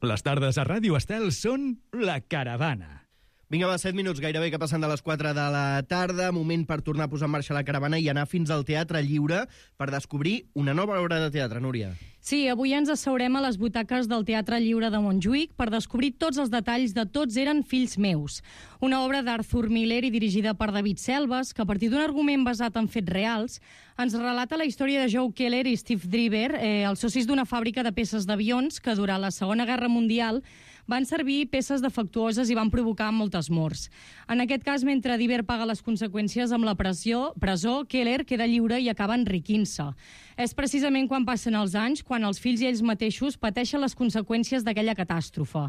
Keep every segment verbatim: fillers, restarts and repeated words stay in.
Les tardes a Ràdio Estel són La Caravana. Vinga, va, set minuts, gairebé que passen de les quatre de la tarda. Moment per tornar a posar en marxa la caravana i anar fins al Teatre Lliure per descobrir una nova obra de teatre, Núria. Sí, avui ens asseurem a les butaques del Teatre Lliure de Montjuïc per descobrir tots els detalls de Tots eren fills meus. Una obra d'Arthur Miller i dirigida per David Selves, que a partir d'un argument basat en fets reals, ens relata la història de Joe Keller i Steve Driver, eh, els socis d'una fàbrica de peces d'avions que durant la Segona Guerra Mundial van servir peces defectuoses i van provocar moltes morts. En aquest cas, mentre Driver paga les conseqüències amb la pressió, presó, Keller queda lliure i acaba enriquint-se. És precisament quan passen els anys, quan els fills i ells mateixos pateixen les conseqüències d'aquella catàstrofe.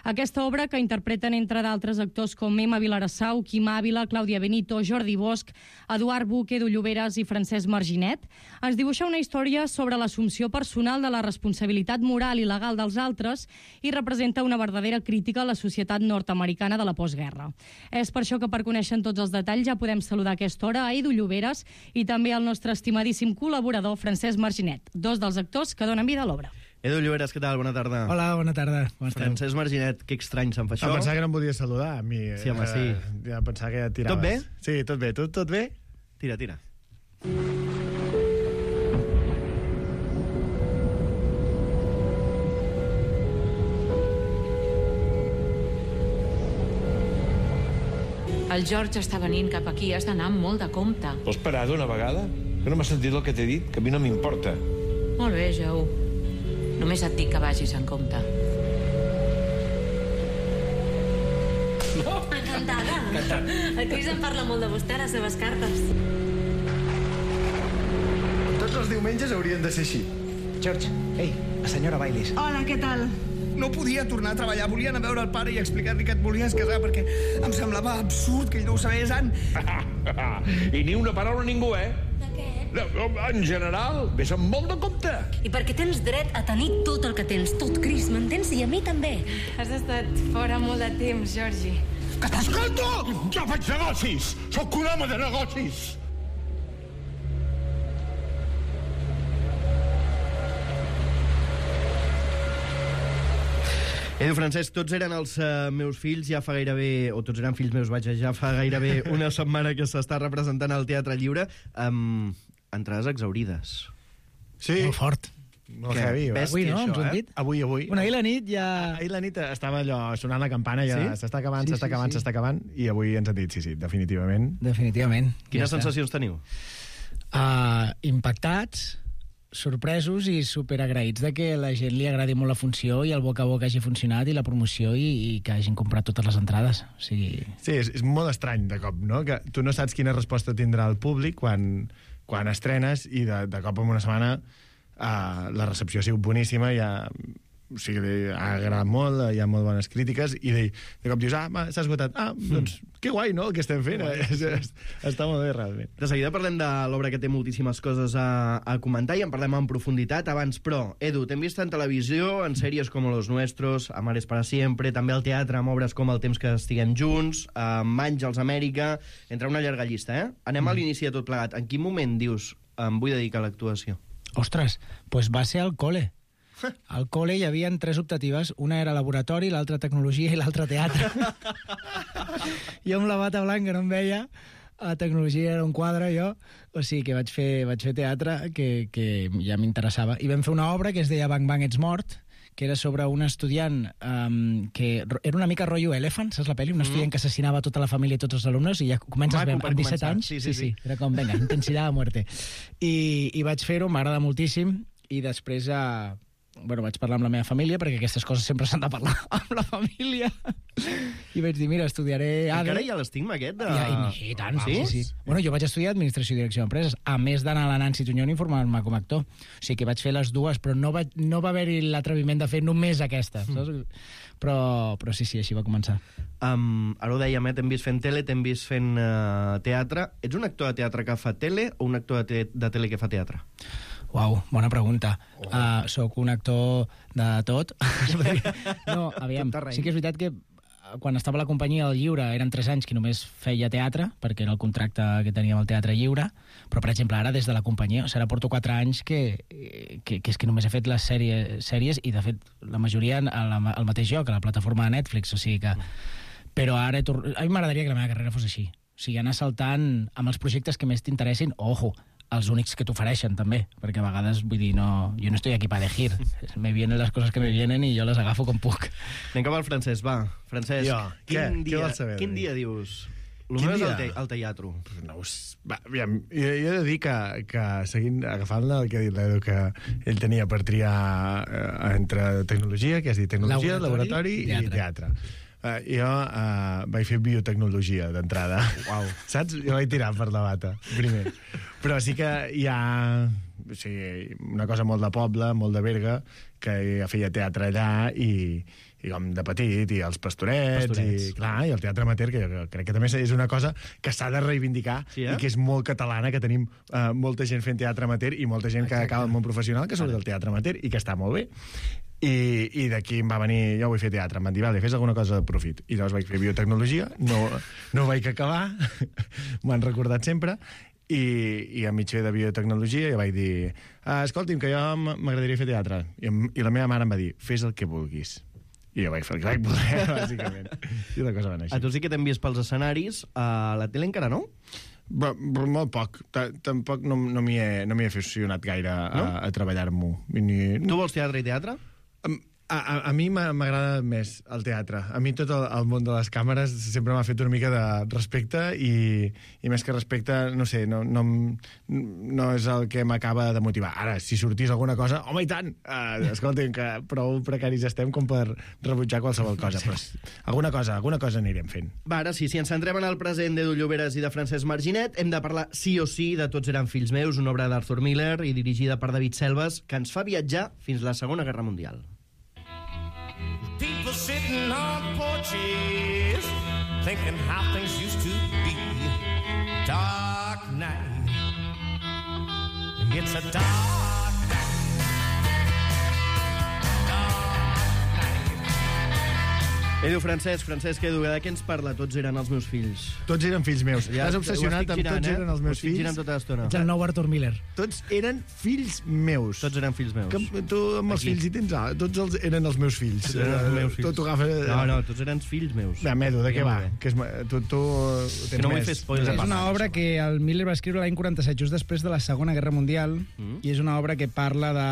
Aquesta obra, que interpreten entre d'altres actors com Emma Vilarassau, Quim Ávila, Clàudia Benito, Jordi Bosch, Eduard Buch, Edu Lloberes i Francesc Marginet, ens dibuixa una història sobre l'assumpció personal de la responsabilitat moral i legal dels altres i representa una verdadera crítica a la societat nord-americana de la postguerra. És per això que, per conèixer tots els detalls, ja podem saludar a aquesta hora a Edu Lloberes i també al nostre estimadíssim col·laborador Francesc Marginet, dos dels actors que donen vida a l'obra. Edu Lloberes, què tal? Bona tarda. Hola, bona tarda. Com esteu? Francesc Marginet, que estrany se'm fa això. Em pensava que no em podies saludar, a mi. Sí, home, sí. Eh, ja pensava que ja tiraves. Tot bé? Sí, tot bé. Tu, tot bé? Tira, tira. El George està venint cap aquí, has d'anar amb molt de compte. Vols parar d'una vegada? Que no m'has sentit el que t'he dit, que a mi no m'importa. Molt bé, Joe. Només et dic que vagis en compte. No. Encantada. Encantat. El Chris em parla molt de vostè a les seves cartes. Tots els diumenges haurien de ser així. George, ei, la senyora Baileys. Hola, què tal? No podia tornar a treballar, volia anar a veure el pare i explicar-li que et volies casar perquè em semblava absurd que ell no ho sabés, Ann. I ni una paraula a ningú, eh? De què? No, en general, vés amb molt de compte. I perquè tens dret a tenir tot el que tens, tot, Chris, m'entens? I a mi també. Has estat fora molt de temps, Georgie. Que t'escolto! Jo faig negocis! Sóc un home de negocis! Edu, Francesc, tots eren els uh, meus fills ja fa gairebé, o tots eren fills meus, vaja, ja fa gairebé una setmana que s'està representant al Teatre Lliure, amb entrades exaurides. Sí. Molt fort. Molt heavy, eh? Avui, no? Hem sentit? Avui, avui. Bueno, ahir la nit ja... Ahir la nit estava allò sonant la campana, ja Sí? s'està acabant, Sí, s'està sí, acabant, sí. s'està acabant, i avui ens han dit, sí, sí, definitivament. Definitivament. Quines Ja està. sensacions teniu? Uh, impactats, sorpresos i superagraïts de que la gent li agradi molt la funció i el boca a boca hagi funcionat i la promoció i, i que hagin comprat totes les entrades. O sigui... Sí, és, és molt estrany de cop, no? Que tu no saps quina resposta tindrà el públic quan, quan estrenes i de, de cop en una setmana uh, la recepció ha sigut boníssima, ja, o sigui, ha agradat molt, hi ha molt bones crítiques i de, de cop dius, ah, s'ha esgotat, ah, doncs que guai, no?, el que estem fent, és, és, està molt bé, realment. De seguida parlem de l'obra que té moltíssimes coses a, a comentar i en parlem en profunditat. Abans, però, Edu, t'hem vist en televisió, en sèries com Los Nuestros, Amares para siempre, també al teatre amb obres com El temps que estiguem junts, amb Àngels Amèrica, entre una llarga llista, eh? Anem a l'inici de tot plegat. En quin moment dius, em vull dedicar a l'actuació? Ostres, pues va ser al col·le. Al col·le hi havia tres optatives, una era laboratori, l'altra tecnologia i l'altra teatre. Jo amb la bata blanca no em veia, a tecnologia era un quadre, jo, o sigui que vaig fer, vaig fer teatre, que, que ja m'interessava. I vam fer una obra que es deia Bang Bang ets mort, que era sobre un estudiant um, que era una mica rotllo Elephant, saps la pel·li? Un estudiant que assassinava tota la família i tots els alumnes i ja comences Maco, amb disset començar. anys. Sí, sí, sí. Era com, venga, intensidad a muerte. I, i vaig fer-ho, m'agrada moltíssim, i després uh, bueno, vaig parlar amb la meva família, perquè aquestes coses sempre s'han de parlar amb la família, i vaig dir, mira, estudiaré A D E. Encara hi ha l'estigma aquest de... I, i, i tant, sí, Vamos. sí, sí. Bueno, jo vaig estudiar Administració i Direcció d'Empreses, a més d'anar a la Nancy Tuñón i formar-me com a actor. O sigui que vaig fer les dues, però no va, no va haver-hi l'atreviment de fer només aquesta, saps? Però, però sí, sí, així va començar. Um, ara ho dèiem, eh? T'hem vist fent tele, t'hem vist fent uh, teatre. Ets un actor de teatre que fa tele o un actor de, te de tele que fa teatre? Uau, bona pregunta. Oh. Uh, soc un actor de tot. No, aviam, sí que és veritat que quan estava a la companyia del Lliure eren tres anys que només feia teatre, perquè era el contracte que teníem al Teatre Lliure, però, per exemple, ara des de la companyia, o sigui, ara porto quatre anys que, que, que és que només he fet les sèries, sèries i, de fet, la majoria al, al mateix lloc, a la plataforma de Netflix, o sigui que... Però ara he tor... a mi m'agradaria que la meva carrera fos així. O sigui, anar saltant amb els projectes que més t'interessin, ojo, els únics que t'ofereixen, també, perquè a vegades, vull dir, no, jo no estoy aquí para elegir. Me vienen les coses que me vienen i jo les agafo com puc. Anem cap al Francesc, va. Francesc, jo, quin, què? dia, Què vols saber? quin dia dius? El Quin meu és dia? el, te, el teatre. No, va, aviam, jo, jo he de dir que, que seguint, agafant el que ha dit l'Edu, que ell tenia per triar eh, entre tecnologia, que has dit tecnologia, laboratori, laboratori i teatre. Uh, jo uh, vaig fer biotecnologia d'entrada. Uau. Saps? Jo vaig tirar per la bata, primer. Però sí que hi ha o sigui, una cosa molt de poble, molt de Berga, que ja feia teatre allà i, i com de petit, i els pastorets, pastorets. I, clar, i el teatre amateur, que jo crec que també és una cosa que s'ha de reivindicar, sí, eh? I que és molt catalana, que tenim uh, molta gent fent teatre amateur i molta gent Exacte. Que acaba al món professional que surt del teatre amateur i que està molt bé. I, i d'aquí em va venir, jo vull fer teatre, em van dir, vale, fes alguna cosa de profit. I llavors vaig fer biotecnologia, no, no vaig acabar, m'ho han recordat sempre, i, i a mig fer de biotecnologia ja vaig dir, ah, escolti'm, que jo m'agradaria fer teatre. I, I la meva mare em va dir, fes el que vulguis. I jo vaig fer el que vaig poder, bàsicament. I la cosa va anar així. A tu sí que t'hem vist pels escenaris, a la tele encara no? Però, però molt poc. Tampoc no, no m'hi he, no m'hi he aficionat gaire a, no? a, a treballar-m'ho. Ni... Tu vols teatre i teatre? A, a, a mi m'agrada més el teatre. A mi tot el, el món de les càmeres sempre m'ha fet una mica de respecte i, i més que respecte, no sé, no, no, no és el que m'acaba de motivar. Ara, si sortís alguna cosa, home, i tant! Uh, escolta'm, que prou precaris estem com per rebutjar qualsevol cosa. Però alguna cosa, alguna cosa anirem fent. Va, ara sí, si ens centrem en el present d'Edu Lloberes i de Francesc Marginet, hem de parlar sí o sí de Tots eren fills meus, una obra d'Arthur Miller i dirigida per David Selves, que ens fa viatjar fins la Segona Guerra Mundial. People sitting on porches, thinking how things used to be. Dark night, it's a dark night. Edu, Francesc, Francesc, Edu, de què ens parla? Tots eren els meus fills. Tots eren fills meus. Ja, T'has obsessionat amb girant, tots eh? eren els meus fills. Girant tota l'estona. Ets el nou Arthur Miller. Tots eren fills meus. Tots eren fills meus. Que, tu amb els Aquí. fills hi tens... Ah, tots els, eren els meus fills. Tots eren els meus fills. Tot ho agafa... No, no, tots eren fills meus. Va, Edu, de què va? Que és, tu, tu tens que no més. vull fer spoilers. És una obra que el Miller va escriure l'any quaranta-set, just després de la Segona Guerra Mundial, mm. i és una obra que parla de...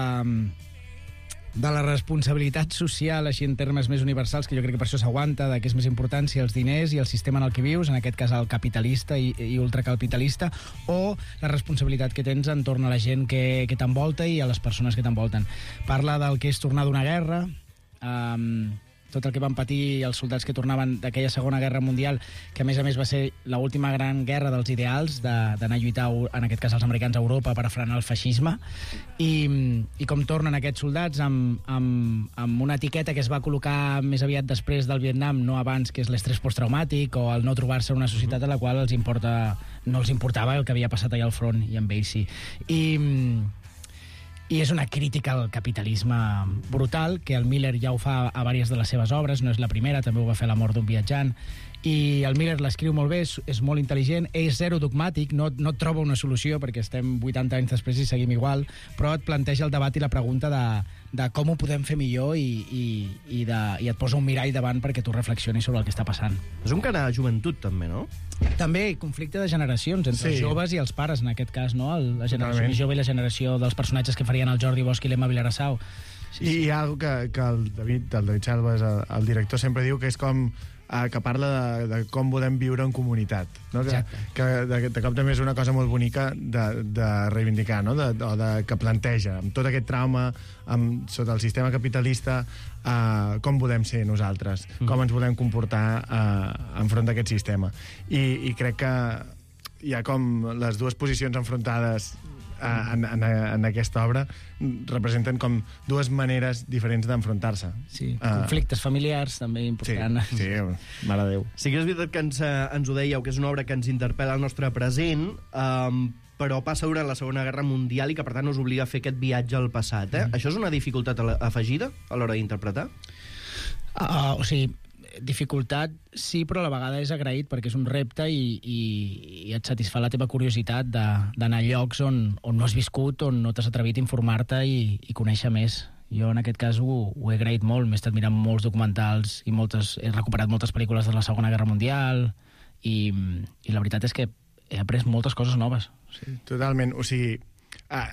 de la responsabilitat social, així en termes més universals, que jo crec que per això s'aguanta, de què és més important, si els diners i el sistema en el que vius, en aquest cas el capitalista i, i ultracapitalista, o la responsabilitat que tens entorn a la gent que, que t'envolta i a les persones que t'envolten. Parla del que és tornar d'una guerra, um, tot el que van patir els soldats que tornaven d'aquella Segona Guerra Mundial, que a més a més va ser l'última gran guerra dels ideals, d'anar a lluitar, en aquest cas els americans, a Europa per a frenar el feixisme, i, i com tornen aquests soldats amb, amb, amb una etiqueta que es va col·locar més aviat després del Vietnam, no abans, que és l'estrès posttraumàtic o el no trobar-se en una societat a la qual els importa, no els importava el que havia passat allà al front, i amb ells sí. I... I és una crítica al capitalisme brutal, que el Miller ja ho fa a diverses de les seves obres, no és la primera, també ho va fer La mort d'un viatjant, i el Miller l'escriu molt bé, és, és molt intel·ligent, és zero dogmàtic, no, no et troba una solució, perquè estem vuitanta anys després i seguim igual, però et planteja el debat i la pregunta de, de com ho podem fer millor i, i, i, de, i et posa un mirall davant perquè tu reflexionis sobre el que està passant. És un cara de joventut, també, no? També conflicte de generacions, entre sí. els joves i els pares, en aquest cas, no? El, la generació Totalment. més jove i la generació dels personatges que farien el Jordi Bosch i l'Emma Vilarassau. Sí, I sí. hi ha algo que, que el David, el David Selves, el, el director, sempre diu que és com eh, que parla de, de com podem viure en comunitat, no? Que, que de, de cop també és una cosa molt bonica de, de reivindicar, no? De, o de, que planteja amb tot aquest trauma amb, sota el sistema capitalista, eh, com podem ser nosaltres, mm. com ens volem comportar eh, enfront d'aquest sistema, i, i crec que hi ha com les dues posicions enfrontades En, en, en aquesta obra representen com dues maneres diferents d'enfrontar-se. Sí, uh, conflictes familiars també important. Sí, sí, mare de Déu. Sí que és veritat que ens, ens ho dèieu, que és una obra que ens interpel·la al nostre present, um, però passa durant la Segona Guerra Mundial i que per tant us obliga a fer aquest viatge al passat. Eh? Mm. Això és una dificultat afegida a l'hora d'interpretar? Uh, o sigui, dificultat sí, però a la vegada és agraït perquè és un repte i, i, i et satisfà la teva curiositat d'anar a llocs on, on no has viscut, on no t'has atrevit a informar-te i, i conèixer més. Jo en aquest cas ho, ho he agraït molt, m'he estat mirant molts documentals i moltes, he recuperat moltes pel·lícules de la Segona Guerra Mundial i, i la veritat és que he après moltes coses noves. Sí, totalment, o sigui, ah,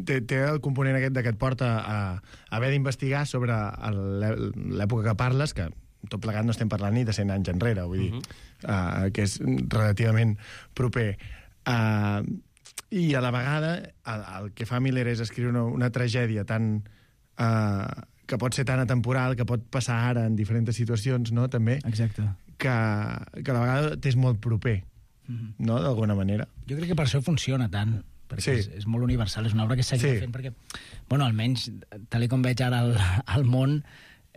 té, té el component aquest que et porta a, a haver d'investigar sobre l'època que parles, que tot plegat no estem parlant ni de cent anys enrere, vull dir, uh-huh. uh, que és relativament proper. Uh, I a la vegada, el, el que fa Miller és escriure una, una tragèdia tan... Uh, que pot ser tan atemporal, que pot passar ara en diferents situacions, no?, també. Exacte. Que, que a la vegada t'és molt proper, uh-huh. no?, d'alguna manera. Jo crec que per això funciona tant, perquè sí. és, és molt universal, és una obra que seguirà sí. fent, perquè, bueno, almenys, tal com veig ara el, el món,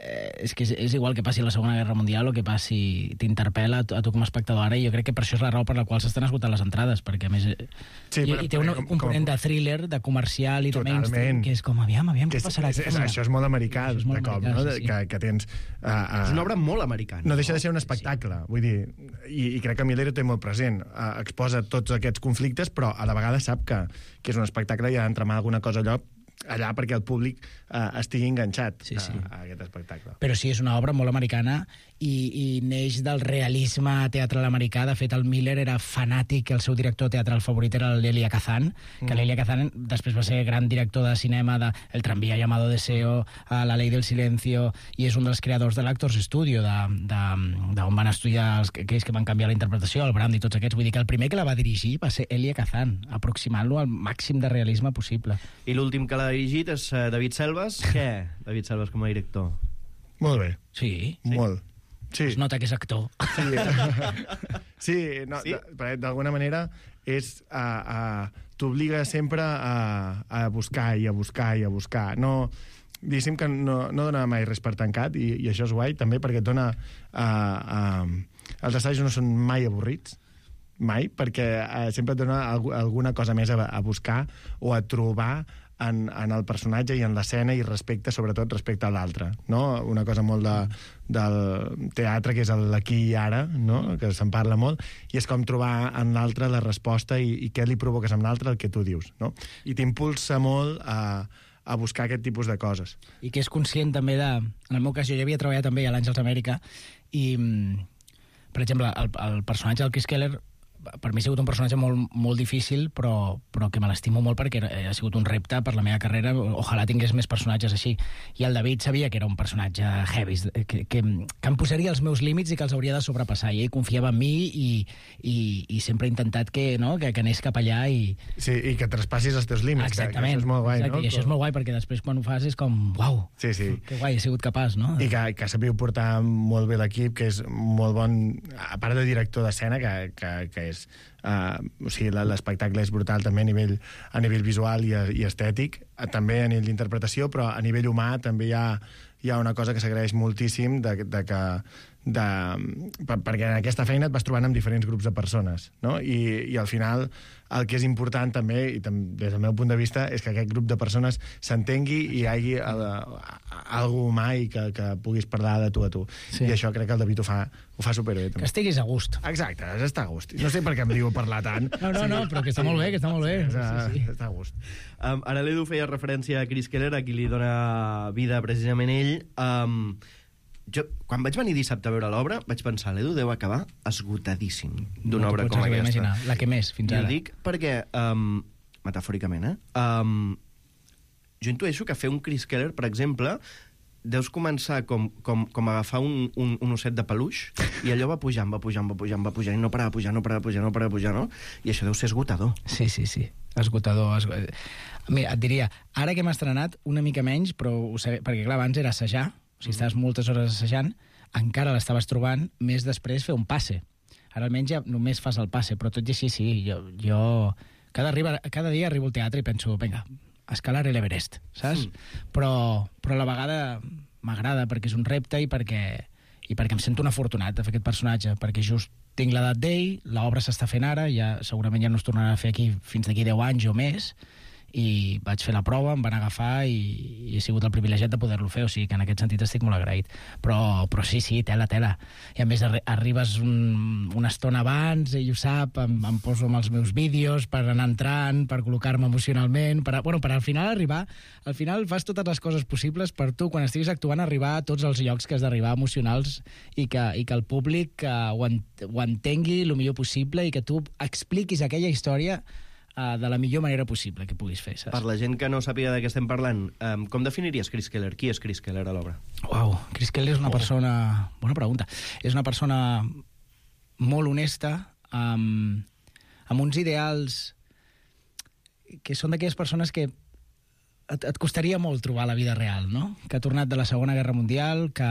eh, és que és, és igual que passi la Segona Guerra Mundial o que passi, t'interpel·la a, a tu com a espectador ara, i jo crec que per això és la raó per la qual s'estan esgotant les entrades, perquè a més sí, i, però, i té un component com... de thriller, de comercial i totalment. de mainstream, que és com, aviam, aviam, què és, passarà? És, és, això és molt americà, és molt de cop, americà, no? Sí, sí. Que, que tens... Uh, uh, és una obra molt americana. No deixa de ser un espectacle, sí, sí. vull dir, i, i crec que Miller ho té molt present, uh, exposa tots aquests conflictes, però a la vegada sap que, que és un espectacle i ha d'entramar alguna cosa allò allà perquè el públic eh, estigui enganxat sí, sí. A, a aquest espectacle. Però sí, és una obra molt americana i, i neix del realisme teatral americà. De fet, el Miller era fanàtic, el seu director teatral favorit era l'Elia Kazan, que mm. l'Elia Kazan després va ser gran director de cinema de El tranvía llamado Deseo, a La ley del silencio, i és un dels creadors de l'Actors Studio, d'on de, de, van estudiar els, aquells que van canviar la interpretació, el Brand i tots aquests. Vull dir que el primer que la va dirigir va ser Elia Kazan, aproximant-lo al màxim de realisme possible. I l'últim que l'ha dirigit és uh, David Selves. Què? David Selves com a director. Molt bé. Sí? Molt. Sí. Es nota que és actor. Sí, sí, no, sí? D'alguna manera és, uh, uh, t'obliga sempre a, a buscar i a buscar i a buscar. No, diguéssim que no, no dona mai res per tancat, i, i això és guai, també, perquè et dona... Uh, uh, els assajos no són mai avorrits, mai, perquè uh, sempre et dona alg alguna cosa més a, a buscar o a trobar en, en el personatge i en l'escena, i respecte, sobretot respecte a l'altre, no? Una cosa molt de, del teatre, que és l'aquí i ara, no? Que se'n parla molt, i és com trobar en l'altre la resposta i, i què li provoques amb l'altre, el que tu dius, no? I t'impulsa molt a, a buscar aquest tipus de coses. I que és conscient també de... En el meu cas, jo ja havia treballat també a l'Àngels Amèrica, i, per exemple, el, el personatge del Chris Keller per mi ha sigut un personatge molt, molt difícil, però, però que me l'estimo molt perquè ha sigut un repte per la meva carrera. Ojalà tingués més personatges així. I el David sabia que era un personatge heavy, que, que, que em posaria els meus límits i que els hauria de sobrepassar. I ell confiava en mi i, i, i sempre he intentat que, no, que, que anés cap allà. I... Sí, i que traspassis els teus límits. Exactament. Que, que això és molt guai, exacte, no? I això és molt guai perquè després quan ho fas és com, uau, sí, sí. que guai, he sigut capaç, no? I que, que sabíeu portar molt bé l'equip, que és molt bon, a part de director d'escena, que, que, que és... Uh, o sigui, l'espectacle és brutal també a nivell, a nivell visual i, i estètic, també a nivell d'interpretació, però a nivell humà també hi ha, hi ha una cosa que s'agraeix moltíssim de, de que de, per, perquè en aquesta feina et vas trobant amb diferents grups de persones, no? I, i al final el que és important també, i tam, des del meu punt de vista, és que aquest grup de persones s'entengui i hi hagi algú humà i que, que puguis parlar de tu a tu. Sí. I això crec que el David ho fa, ho fa superbé. Que estiguis a gust. Exacte, està a gust. No sé per què em diu parlar tant. No, no, sí. no, però que està molt bé, que està molt bé. Sí, està, sí, sí. està a gust. Um, ara l'Edu feia referència a Chris Keller, a qui li dona vida precisament ell. Um, jo, quan vaig venir dissabte a veure l'obra, vaig pensar, l'Edu deu acabar esgotadíssim d'una no obra com aquesta. Imaginar, la que més, fins I ara. I ho dic perquè, um, metafòricament, eh? Um, jo intueixo que fer un Chris Keller, per exemple, deus començar com, com, com agafar un, un, un osset de peluix, i allò va pujant, va pujant, va pujant, va pujant, i no parava de pujar, no parava de pujar, no parava de pujar, no? I això deu ser esgotador. Sí, sí, sí. Esgotador. esgotador. Mira, et diria, ara que hem estrenat, una mica menys, però ho sé, perquè clar, abans era assajar, o sigui, estaves moltes hores assajant, encara l'estaves trobant, més després fer un passe. Ara almenys ja només fas el passe, però tot i així, sí, jo, jo cada, arriba, cada dia arribo al teatre i penso, vinga, escalar l'Everest, saps? Mm. Però, però a la vegada m'agrada perquè és un repte i perquè, i perquè em sento un afortunat de fer aquest personatge, perquè just tinc l'edat d'ell, l'obra s'està fent ara, ja segurament ja no es tornarà a fer aquí fins d'aquí deu anys o més, i vaig fer la prova, em van agafar i, i he sigut el privilegiat de poder-lo fer, o sigui que en aquest sentit estic molt agraït. Però, però sí, sí, tela, tela. I a més arri arribes un, una estona abans, ell ho sap, em, em poso amb els meus vídeos per anar entrant, per col·locar-me emocionalment, per, a, bueno, per al final arribar, al final fas totes les coses possibles per tu, quan estiguis actuant, arribar a tots els llocs que has d'arribar emocionals i que, i que el públic uh, ho, ent ho entengui el millor possible i que tu expliquis aquella història Uh, de la millor manera possible que puguis fer, saps? Per la gent que no sàpiga de què estem parlant, um, com definiries Chris Keller? Qui és Chris Keller a l'obra? Uau, Chris Keller és una oh. persona... Bona pregunta. És una persona molt honesta, amb, amb uns ideals que són d'aquelles persones que et, et costaria molt trobar a la vida real, no? Que ha tornat de la Segona Guerra Mundial, que...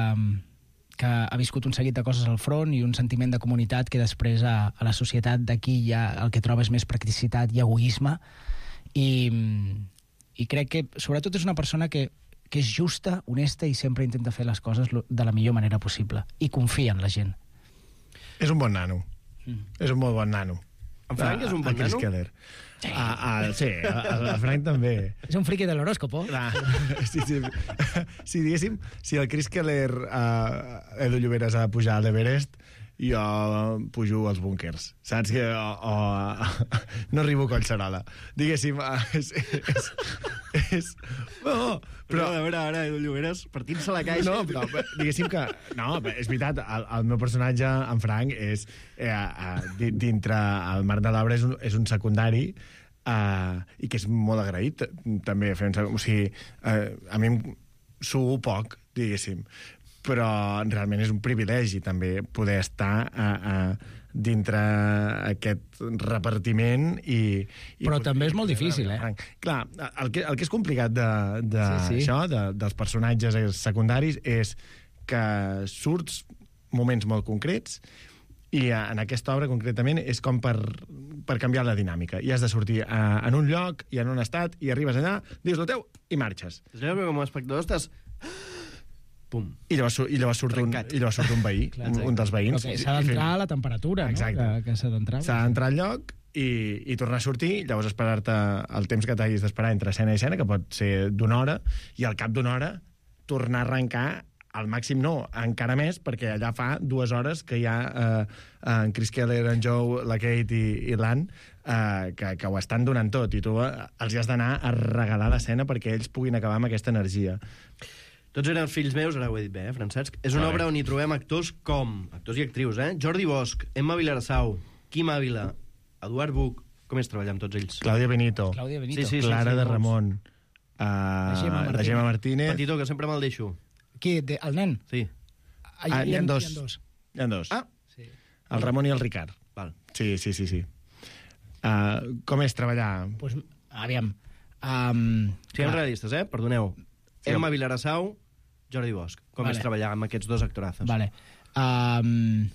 que ha viscut un seguit de coses al front i un sentiment de comunitat que després a, a la societat d'aquí ja el que troba és més practicitat i egoisme i, i crec que sobretot és una persona que, que és justa, honesta i sempre intenta fer les coses de la millor manera possible i confia en la gent. És un bon nano. Mm. És un molt bon nano. En Frank és un bon nano? Keller. Sí, a, a, sí el, el Frank també. És un friqui de l'horòscopo. Sí, sí. Si diguéssim, si el Chris Keller, uh, Edu Lloberes ha de pujar a l'Everest, jo pujo als búnkers, saps? Que, o, o, no arribo a Collserola. Diguéssim, uh, és... és, és no, però... A veure, ara, Edu Lloberes, partint-se la caixa... No, però diguéssim que... No, és veritat, el, el meu personatge, en Frank, és... Eh, eh, dintre el marc de l'obra és, un, és un secundari eh, i que és molt agraït, també. Fent, o sigui, eh, a mi em suo poc, diguéssim, però realment és un privilegi també poder estar a, a, dintre aquest repartiment i... i però també és molt difícil, eh? Clar, el que, el que és complicat de, de sí, sí. això, de, dels personatges secundaris, és que surts moments molt concrets i en aquesta obra, concretament, és com per, per canviar la dinàmica. I has de sortir a, en un lloc i en un estat, i arribes allà, dius el teu i marxes. És allò que com a espectador estàs... Pum. I llavors, i llavors, surt, un, i llavors surt un veí, Clar, un, un dels veïns. Okay, s'ha d'entrar a la temperatura, Exacte. no? Que, que s'ha d'entrar. S'ha d'entrar al lloc i, i tornar a sortir, llavors esperar-te el temps que t'hagis d'esperar entre escena i escena, que pot ser d'una hora, i al cap d'una hora tornar a arrencar al màxim no, encara més, perquè allà fa dues hores que hi ha eh, en Chris Keller, en Joe, la Kate i, i l'Ann eh, que, que ho estan donant tot, i tu eh, els has d'anar a regalar l'escena perquè ells puguin acabar amb aquesta energia. Tots eren fills meus, ara ho he dit bé, eh, Francesc? És una obra on hi trobem actors com... Actors i actrius, eh? Jordi Bosch, Emma Vilarassau, Quim Ávila, Eduard Buch... Com és treballar amb tots ells? Clàudia Benito. Clàudia Benito. Sí, sí, Clara sí, sí, de Ramon. Uh, la Gemma Martínez. La Gemma Martínez. Petitó, que sempre me'l deixo. Qui? De, el nen? Sí. Ah, hi, ah, hi, ha dos. hi ha dos. Hi ha dos. Ah. Sí. El Ramon i el Ricard. Val. Sí, sí, sí. sí. Uh, com és treballar? Pues, aviam. Um, Siguem realistes, eh? Perdoneu. Sí. Emma Vilarassau, Jordi Bosch. Com vale. és treballar amb aquests dos actorazos? Vale. Um,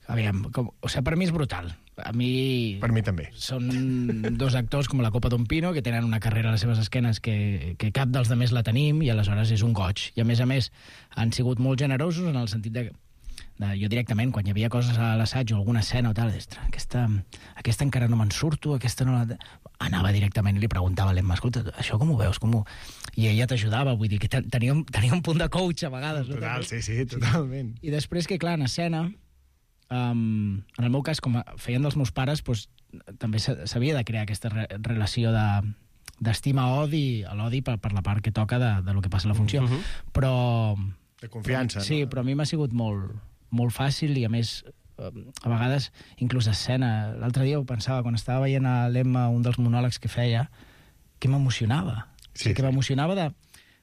aviam, com, o sigui, per mi és brutal. A mi... Per mi també. Són dos actors com la Copa d'un Pino, que tenen una carrera a les seves esquenes que, que cap dels demés la tenim, i aleshores és un goig. I a més a més, han sigut molt generosos en el sentit de... de jo directament, quan hi havia coses a l'assaig o alguna escena o tal, ostres, aquesta, aquesta encara no me'n surto, aquesta no la... Anava directament i li preguntava a l'Emma, escolta, això com ho veus? Com ho... I ella t'ajudava, vull dir que tenia un, tenia un punt de coach a vegades. Total, no? sí, sí, totalment. I després que, clar, en escena... Um, en el meu cas, com feien dels meus pares, doncs, també s'havia de crear aquesta re relació de d'estima-odi, l'odi per, per la part que toca de, de lo que passa a la funció. Uh -huh. Però... De confiança, sí, no? Però a mi m'ha sigut molt, molt fàcil i, a més, a vegades, inclús escena. L'altre dia ho pensava, quan estava veient a l'Emma un dels monòlegs que feia, que m'emocionava. Sí, o sigui, que m'emocionava de...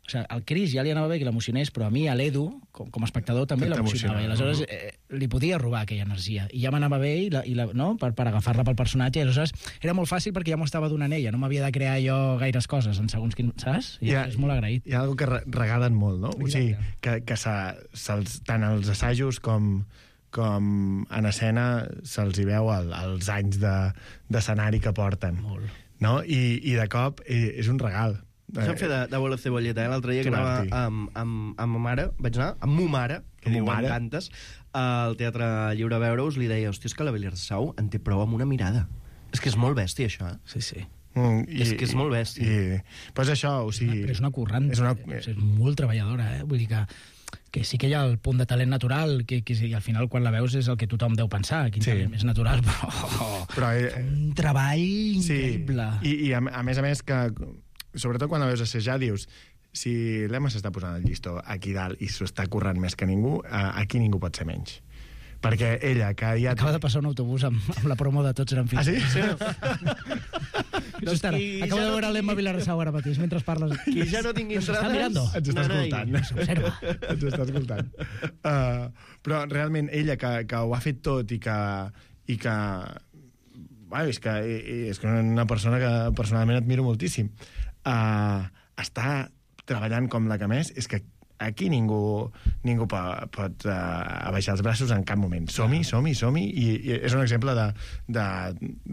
O sigui, al Cris ja li anava bé que l'emocionés, però a mi, a l'Edu, com, com a espectador, també l'emocionava. I aleshores eh, li podia robar aquella energia. I ja m'anava bé i la, i la, no? per, per agafar-la pel personatge. I aleshores era molt fàcil perquè ja m'ho estava donant ella. No m'havia de crear jo gaires coses en segons quin... Saps? I ha, és molt agraït. Hi ha alguna cosa que regalen molt, no? Exacte. O sigui, que, que se, se, tant els assajos com... com en escena se'ls hi veu el, els anys d'escenari de, que porten. Molt. No? I, I de cop és un regal. Ens vam fer de, de bola cebolleta, eh? L'altre dia que anava amb, amb, amb ma mare, vaig anar, amb mo mare, que diuen tantes, al Teatre Lliure a veure-us, li deia, hòstia, és que la Vilarassau en té prou amb una mirada. És que és molt bèstia, això, eh? Sí, sí. Mm, i, és que és molt bèstia. I, pues això, o sigui... Però és una currant, és, una... és molt treballadora, eh? Vull dir que, que sí que hi ha el punt de talent natural, que, que i al final quan la veus és el que tothom deu pensar, quin sí. talent més natural, però... Oh, però eh, un treball increïble. Sí. I, i a, a més a més que, sobretot quan la veus assajar, dius, si l'Emma s'està posant el llistó aquí dalt i s'ho està currant més que ningú, aquí ningú pot ser menys. Perquè ella, que ja... Acaba de passar un autobús amb, amb la promo de Tots eren fills. Ah, sí? Sí. Doncs estarà. Acabo de veure l'Emma Vilarrasau ara mateix, mentre parles. Qui ja no tingui entrades... Està mirando. Ens està escoltant. S'observa. Ens està escoltant. Uh, però realment ella, que, que ho ha fet tot i que... I que bueno, és que és una persona que personalment admiro moltíssim. Uh, està treballant com la que més, és que aquí ningú, ningú pot, pot uh, abaixar els braços en cap moment. Som-hi, som-hi, som-hi, i, i és un exemple de, de,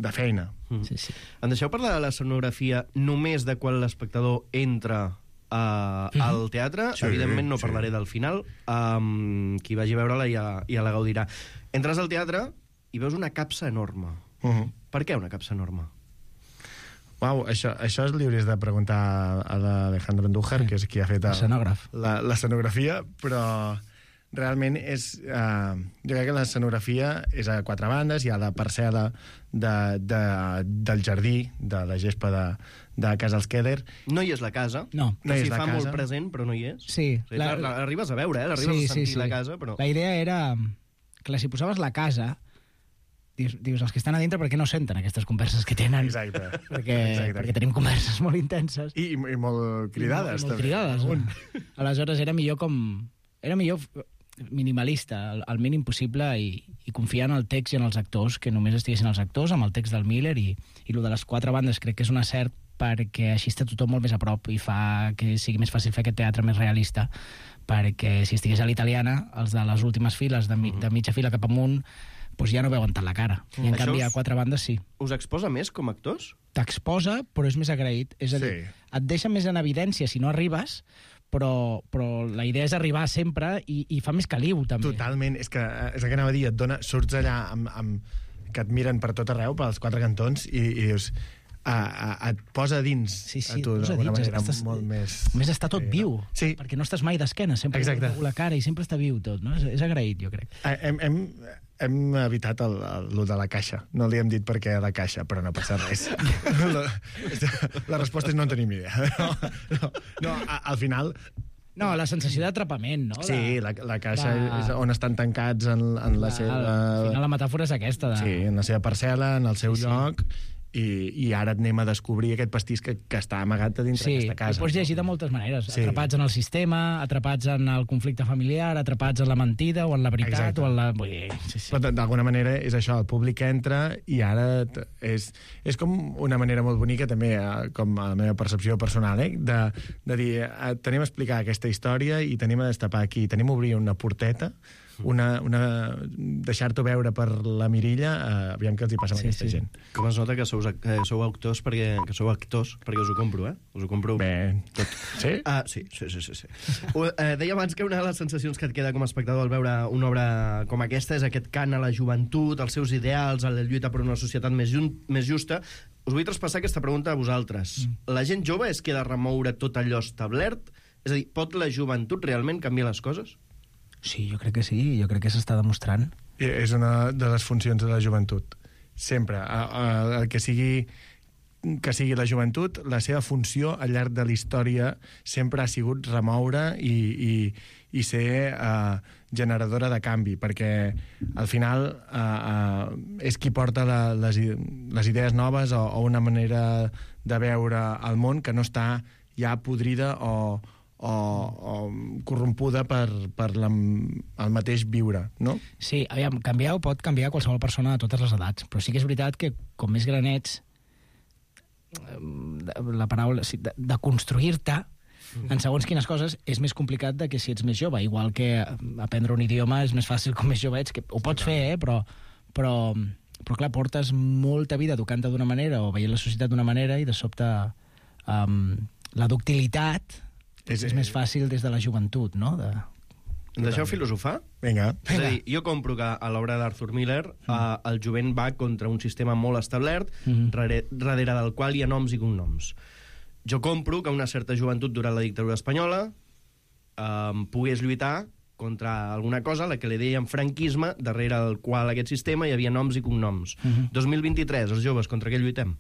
de feina. Mm. Sí, sí. Em deixeu parlar de l'escenografia només de quan l'espectador entra uh, mm-hmm. al teatre? Sí, evidentment no sí. parlaré del final. Um, qui vagi a veure-la ja, ja la gaudirà. Entres al teatre i veus una capsa enorme. Uh-huh. Per què una capsa enorme? Uau, això, això li hauries de preguntar a l'Alejandro Andújar, sí, que és qui ha fet l'escenografia, però realment és... Uh, jo crec que l'escenografia és a quatre bandes, hi ha la parcel·la de, de, del jardí, de la gespa de, de Casa Alsqueder. No hi és la casa, no. que no s'hi fa casa. molt present, però no hi és. Sí. O sigui, la, la, arribes a veure, eh? L'arribes sí, a sentir sí, sí. la casa, però... La idea era... Clar, si posaves la casa... Dius, dius, els que estan a dintre, per què no senten aquestes converses que tenen? Exacte. Perquè, Exacte. perquè tenim converses molt intenses. I, i molt cridades. I molt, molt cridades. Eh? Aleshores, era millor com... Era millor minimalista, el, el mínim possible, i, i confiar en el text i en els actors, que només estiguessin els actors, amb el text del Miller, i, i el de les quatre bandes crec que és un acert perquè així està tothom molt més a prop i fa que sigui més fàcil fer aquest teatre més realista, perquè si estigués a l'italiana, els de les últimes files, de, mi, de mitja fila cap amunt, doncs ja no veuen tant la cara. I en Això canvi, us, a quatre bandes sí. Us exposa més com a actors? T'exposa, però és més agraït. És a dir, sí. et deixa més en evidència si no arribes, però, però la idea és arribar sempre i, i fa més caliu, també. Totalment. És que, és que anava a dir, et dona, surts allà amb, amb, que et miren per tot arreu, pels quatre cantons, i, i dius... A, a, et posa dins sí, sí, a tu d'alguna manera estàs, molt més... Més està tot sí, viu, sí. perquè no estàs mai d'esquena, sempre Exacte. la cara i sempre està viu tot, no? És, és agraït, jo crec. Hem, hem, hem evitat el, el, el de la caixa. No li hem dit per què la caixa, però no passa res. la, la resposta és no en tenim idea. No, no, no a, al final... No, la sensació d'atrapament, no? Sí, la, la caixa de... és on estan tancats en, en la, la seva... Al final la metàfora és aquesta. De... Sí, en la seva parcel·la, en el seu sí, lloc... Sí. I, i ara et anem a descobrir aquest pastís que, que està amagat a dintre sí, d'aquesta casa. Sí, pots llegir de moltes maneres. Sí. Atrapats en el sistema, atrapats en el conflicte familiar, atrapats en la mentida o en la veritat. Exacte. O en la... Sí, sí. Però d'alguna manera és això, el públic entra i ara és, és com una manera molt bonica també, com a la meva percepció personal, eh? de, de dir, tenim a explicar aquesta història i tenim a destapar aquí, tenim a obrir una porteta, una, una, deixar-t'ho veure per la mirilla, eh, aviam què els hi passa amb sí, aquesta sí. gent. Com es nota que sou, que sou actors perquè, que sou actors perquè us ho compro, eh? Us ho compro bé. Tot. Sí? Ah, sí, sí, sí, sí. sí. Uh, eh, deia abans que una de les sensacions que et queda com a espectador al veure una obra com aquesta és aquest cant a la joventut, els seus ideals, a la lluita per una societat més, jun, més justa. Us vull traspassar aquesta pregunta a vosaltres. Mm. La gent jove es queda a remoure tot allò establert? És a dir, pot la joventut realment canviar les coses? Sí, jo crec que sí, jo crec que s'està demostrant. És una de les funcions de la joventut. Sempre. El que sigui, que sigui la joventut, la seva funció al llarg de la història sempre ha sigut remoure i, i, i ser uh, generadora de canvi, perquè al final uh, uh, és qui porta la, les, les idees noves o, o una manera de veure el món que no està ja podrida o o, o corrompuda per, per la, el mateix viure, no? Sí, aviam, canviar ho pot canviar qualsevol persona de totes les edats, però sí que és veritat que com més gran ets, la paraula, de, de construir-te en segons quines coses és més complicat de que si ets més jove, igual que aprendre un idioma és més fàcil com més jove ets, que ho pots fer, eh? però, però, però clar, portes molta vida educant-te d'una manera o veient la societat d'una manera i de sobte um, la ductilitat és, és més fàcil des de la joventut, no? De... Em deixeu filosofar? Vinga. És a dir, jo compro que a l'obra d'Arthur Miller mm. eh, el jovent va contra un sistema molt establert, mm. darrere, darrere del qual hi ha noms i cognoms. Jo compro que una certa joventut durant la dictadura espanyola eh, pogués lluitar contra alguna cosa, la que li deien franquisme, darrere del qual aquest sistema hi havia noms i cognoms. Mm-hmm. dos mil vint-i-tres, els joves, contra què lluitem?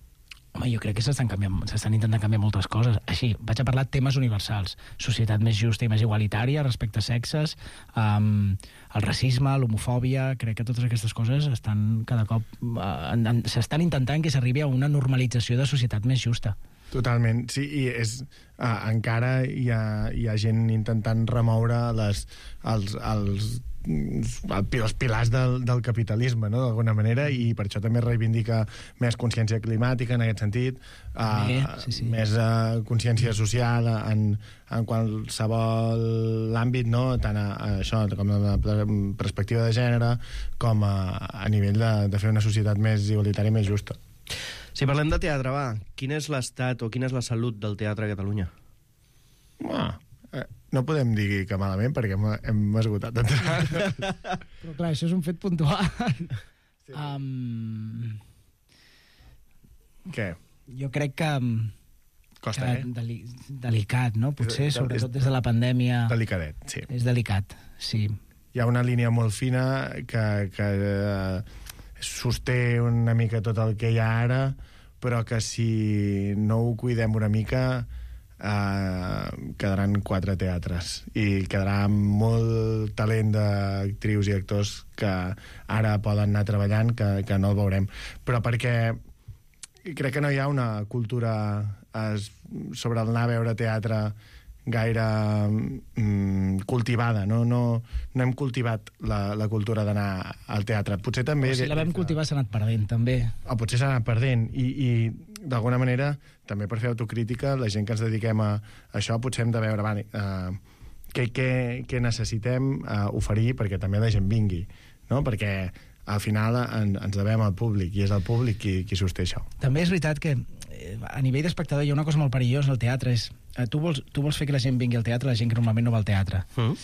Home, jo crec que s'estan canviant, s'estan intentant canviar moltes coses. Així, vaig a parlar de temes universals. Societat més justa i més igualitària respecte a sexes, um, el racisme, l'homofòbia... Crec que totes aquestes coses estan cada cop... Uh, s'estan intentant que s'arribi a una normalització de societat més justa. Totalment, sí, i és, uh, encara hi ha, hi ha gent intentant remoure les, els, els, els pilars del, del capitalisme, no?, d'alguna manera, i per això també reivindica més consciència climàtica en aquest sentit, uh, sí, sí, sí. més uh, consciència social en, en qualsevol àmbit, no?, tant a, a això com a la perspectiva de gènere com a, a nivell de, de fer una societat més igualitària i més justa. Si parlem de teatre, va, quin és l'estat o quina és la salut del teatre a Catalunya? Ah, eh, no podem dir que malament, perquè hem, hem esgotat. Però clar, això és un fet puntual. Sí. Um... Què? Jo crec que... Costa, que eh? Deli delicat, no? Potser, és, sobretot és, des de la pandèmia... Delicadet, sí. És delicat, sí. Hi ha una línia molt fina que... que eh, sosté una mica tot el que hi ha ara, però que si no ho cuidem una mica eh, quedaran quatre teatres i quedarà molt talent d'actrius i actors que ara poden anar treballant que, que no el veurem, però perquè crec que no hi ha una cultura es, sobre el anar a veure teatre gaire mm, cultivada, no? No, no hem cultivat la, la cultura d'anar al teatre. Potser també... O si la vam cultivar s'ha anat perdent, també. O potser s'ha anat perdent, i, i d'alguna manera, també per fer autocrítica, la gent que ens dediquem a, a això, potser hem de veure va, uh, què, què, què necessitem uh, oferir perquè també la gent vingui, no? Perquè al final en, ens devem al públic, i és el públic qui, qui sosté això. També és veritat que a nivell d'espectador hi ha una cosa molt perillosa al teatre, és eh, tu, vols, tu vols fer que la gent vingui al teatre, la gent que normalment no va al teatre. Mm.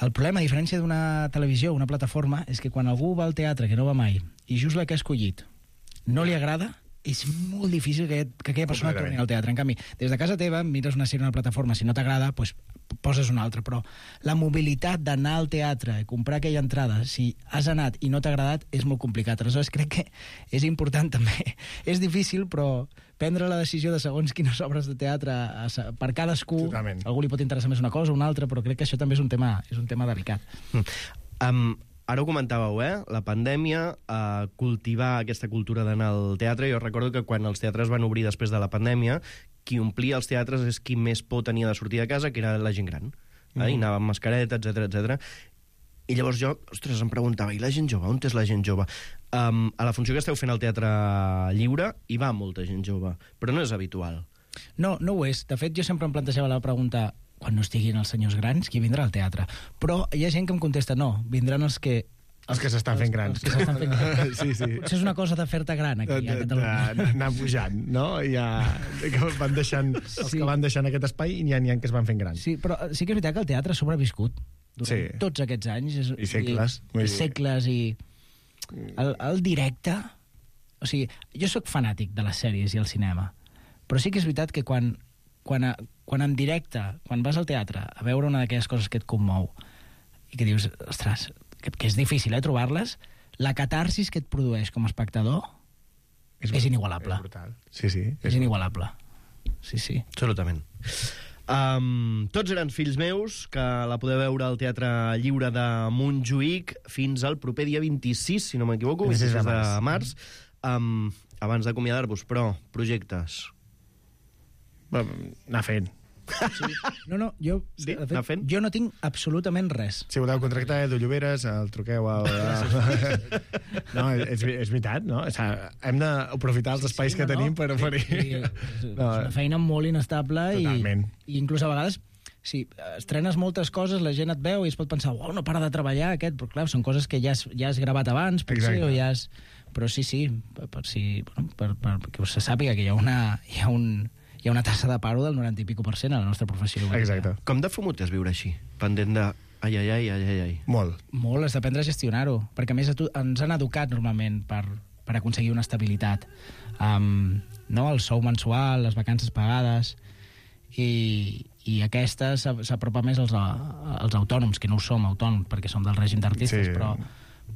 El problema, a diferència d'una televisió, una plataforma, és que quan algú va al teatre, que no va mai, i just la que ha escollit no li agrada, és molt difícil que, que aquella persona torni al teatre. En canvi, des de casa teva, mires una sèrie o una plataforma, si no t'agrada, doncs poses una altra, però la mobilitat d'anar al teatre i comprar aquella entrada, si has anat i no t'ha agradat, és molt complicat. Aleshores, crec que és important també. És difícil, però prendre la decisió de segons quines obres de teatre per cadascú, totalment. Algú li pot interessar més una cosa o una altra, però crec que això també és un tema, és un tema delicat. Mm. Um, ara ho comentàveu, eh? La pandèmia, uh, cultivar aquesta cultura d'anar al teatre. Jo recordo que quan els teatres van obrir després de la pandèmia, qui omplia els teatres és qui més por tenia de sortir de casa, que era la gent gran. Mm. Eh? I anava amb mascareta, etcètera, etcètera. I llavors jo, ostres, em preguntava, i la gent jove? On és la gent jove? Um, a la funció que esteu fent al Teatre Lliure hi va molta gent jove, però no és habitual. No, no ho és. De fet, jo sempre em plantejava la pregunta, quan no estiguin els senyors grans, qui vindrà al teatre? Però hi ha gent que em contesta, no, vindran els que... Els que s'estan fent grans. Els que s'estan fent grans. Sí, sí. Potser és una cosa de fer-te gran, aquí, a Catalunya. Anar pujant, no? Ja, que van deixant, els sí. que van deixant aquest espai i n'hi ha, ha que es van fent grans. Sí, però sí que és veritat que el teatre ha sobreviscut durant sí. tots aquests anys. És, I segles. I, i segles, i... El, el directe... O sigui, jo sóc fanàtic de les sèries i el cinema, però sí que és veritat que quan, quan, a, quan en directe, quan vas al teatre a veure una d'aquelles coses que et commou i que dius, ostres... Que, que és difícil, eh, trobar-les, la catarsis que et produeix com a espectador és, és inigualable. És brutal. Sí, sí. És, és inigualable. Sí, sí. Absolutament. Um, tots eren fills meus, que la podeu veure al Teatre Lliure de Montjuïc fins al proper dia vint-i-sis, si no m'equivoco, vint-i-sis de març. Um, abans d'acomiadar-vos, però, projectes. Anar fent. Sí. No, no, jo, sí? de fet, jo no tinc absolutament res. Si voleu contractar Edu Lloberes, el truqueu al... No, és, és veritat, no? O sigui, hem d'aprofitar els espais sí, sí, no, que tenim no. per oferir... Sí, és, no. és una feina molt inestable i, i inclús a vegades si estrenes moltes coses, la gent et veu i es pot pensar, uau, no para de treballar aquest, però clar, són coses que ja has, ja has gravat abans, potser, o ja has... Però sí, sí, per, per, si, bueno, per, per, perquè se sàpiga que hi ha una... Hi ha un... Hi ha una tassa de paro del noranta i pico per cent a la nostra professió. Exacte. Com de fumut és viure així? Pendent de Ai, ai, ai, ai, ai. Molt. Molt, has d'aprendre a gestionar-ho, perquè a més ens han educat normalment per, per aconseguir una estabilitat. Um, no? El sou mensual, les vacances pagades, i, i aquesta s'apropa més als, als autònoms, que no ho som autònoms, perquè som del règim d'artistes, sí. però,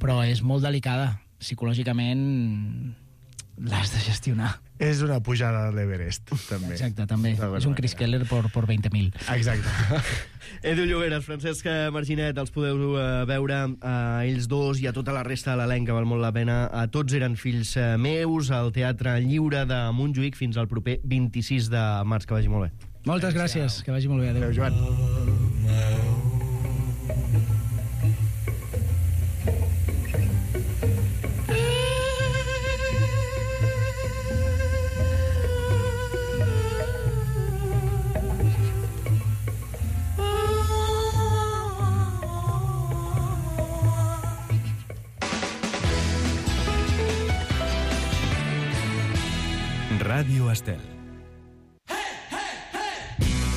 però és molt delicada. Psicològicament l'has de gestionar. És una pujada de l'Everest, també. Exacte, també. És un Chris Keller per, per vint mil. Exacte. Edu Lloberes, Francesc Marginet, els podeu uh, veure a uh, ells dos i a tota la resta de l'elenc, que val molt la pena. A Tots eren fills uh, meus, al Teatre Lliure de Montjuïc, fins al proper vint-i-sis de març. Que vagi molt bé. Moltes gràcies, que vagi molt bé. Adéu, Adéu Joan. Ràdio Estel.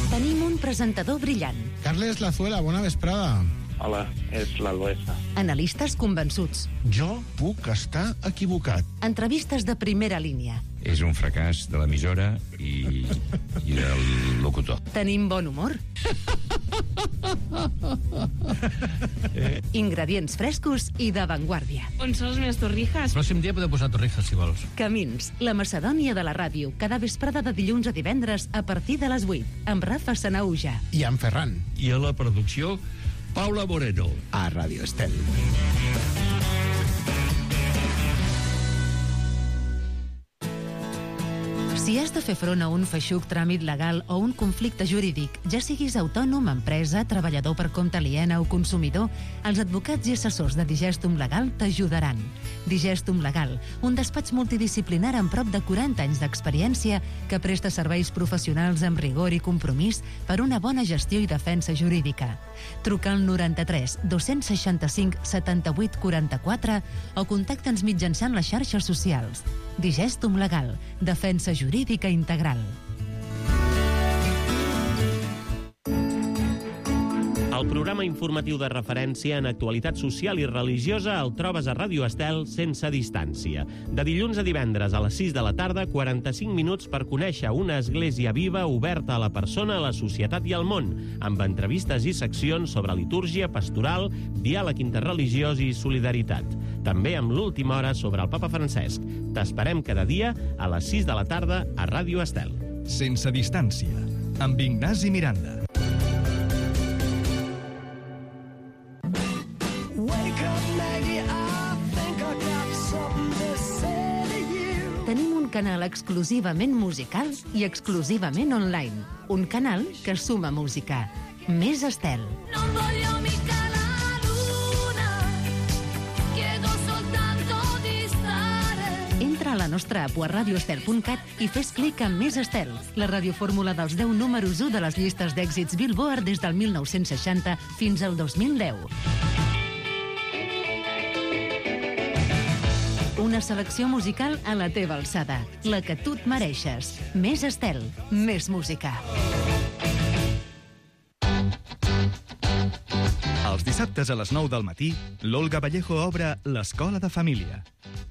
Tenim un presentador brillant. Carles Lazuela, bona vesprada. Hola, és l'Albesa. Analistes convençuts. Jo puc estar equivocat. Entrevistes de primera línia. És un fracàs de l'emissora i, i del locutor. Tenim bon humor. Ingredients frescos i d'avantguàrdia. On són les meves torrijas? El pròxim dia podeu posar torrijas, si vols. Camins, la Macedònia de la ràdio, cada vesprada de dilluns a divendres a partir de les vuit, amb Rafa Sanauja. I amb Ferran. I a la producció, Paula Moreno. A Ràdio Estel. Si has de fer front a un feixuc tràmit legal o un conflicte jurídic, ja siguis autònom, empresa, treballador per compte aliena o consumidor, els advocats i assessors de Digestum Legal t'ajudaran. Digestum Legal, un despatx multidisciplinar amb prop de quaranta anys d'experiència que presta serveis professionals amb rigor i compromís per una bona gestió i defensa jurídica. Truca al noranta-tres dos-cents seixanta-cinc setanta-vuit quaranta-quatre o contacta'ns mitjançant les xarxes socials. Digestum Legal, defensa jurídica integral. El programa informatiu de referència en actualitat social i religiosa el trobes a Ràdio Estel sense distància. De dilluns a divendres a les sis de la tarda, quaranta-cinc minuts per conèixer una església viva oberta a la persona, a la societat i al món, amb entrevistes i seccions sobre litúrgia, pastoral, diàleg interreligiós i solidaritat. També amb l'última hora sobre el Papa Francesc. T'esperem cada dia a les sis de la tarda a Ràdio Estel. Sense distància, amb Ignasi Miranda. Tenim un canal exclusivament musical i exclusivament online. Un canal que suma música. Més Estel. No voglio mica la luna, chiedo soltanto di stare. Entra a la nostra app a radioestel punt cat i fes clic en Més Estel, la radiofórmula dels deu números u de les llistes d'èxits Billboard des del mil nou-cents seixanta fins al dos mil deu. Una selecció musical a la teva alçada, la que tu et mereixes. Més Estel, més música. Els dissabtes a les nou del matí, l'Olga Vallejo obre l'Escola de Família.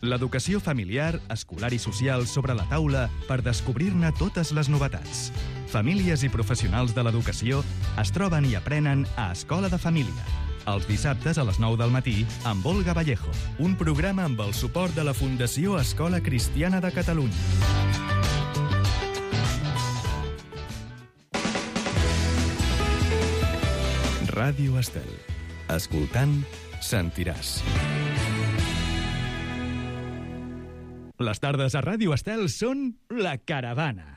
L'educació familiar, escolar i social sobre la taula per descobrir-ne totes les novetats. Famílies i professionals de l'educació es troben i aprenen a Escola de Família. Els dissabtes a les nou del matí, amb Olga Vallejo, un programa amb el suport de la Fundació Escola Cristiana de Catalunya. Ràdio Estel. Escoltant, sentiràs. Les tardes a Ràdio Estel són La Caravana.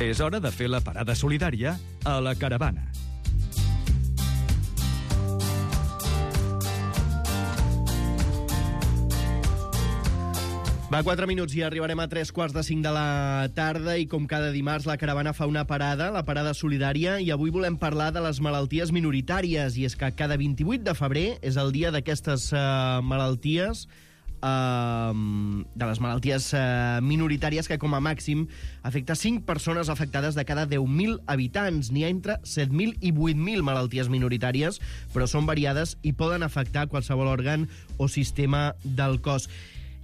És hora de fer la parada solidària a La Caravana. Va, quatre minuts i arribarem a tres quarts de cinc de la tarda i com cada dimarts la caravana fa una parada, la parada solidària, i avui volem parlar de les malalties minoritàries, i és que cada vint-i-vuit de febrer és el dia d'aquestes uh, malalties, uh, de les malalties uh, minoritàries que com a màxim afecta cinc persones afectades de cada deu mil habitants. N'hi ha entre set mil i vuit mil malalties minoritàries, però són variades i poden afectar qualsevol òrgan o sistema del cos.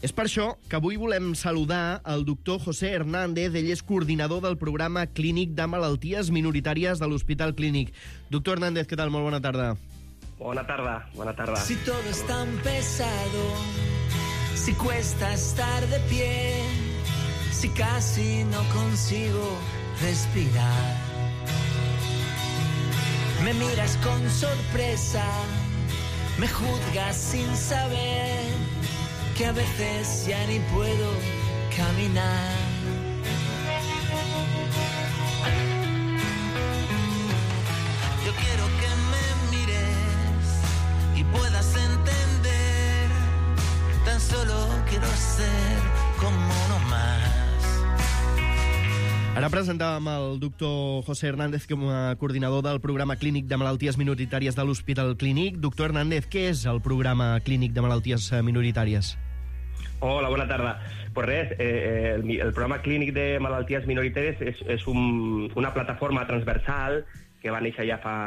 És per això que avui volem saludar el doctor José Hernández. Ell és coordinador del programa clínic de malalties minoritàries de l'Hospital Clínic. Doctor Hernández, què tal? Molt bona tarda. Bona tarda, bona tarda. Si todo es tan pesado, si cuesta estar de pie, si casi no consigo respirar, me miras con sorpresa, me juzgas sin saber que a veces ya ni puedo caminar. Yo quiero que me mires y puedas entender, tan solo quiero ser como uno más. Ara presentàvem el doctor José Hernández com a coordinador del programa clínic de malalties minoritàries de l'Hospital Clínic. Doctor Hernández, què és el programa clínic de malalties minoritàries? Hola, bona tarda. Pues res, eh, el, el programa clínic de malalties minoritàries és, és un, una plataforma transversal que va néixer ja fa,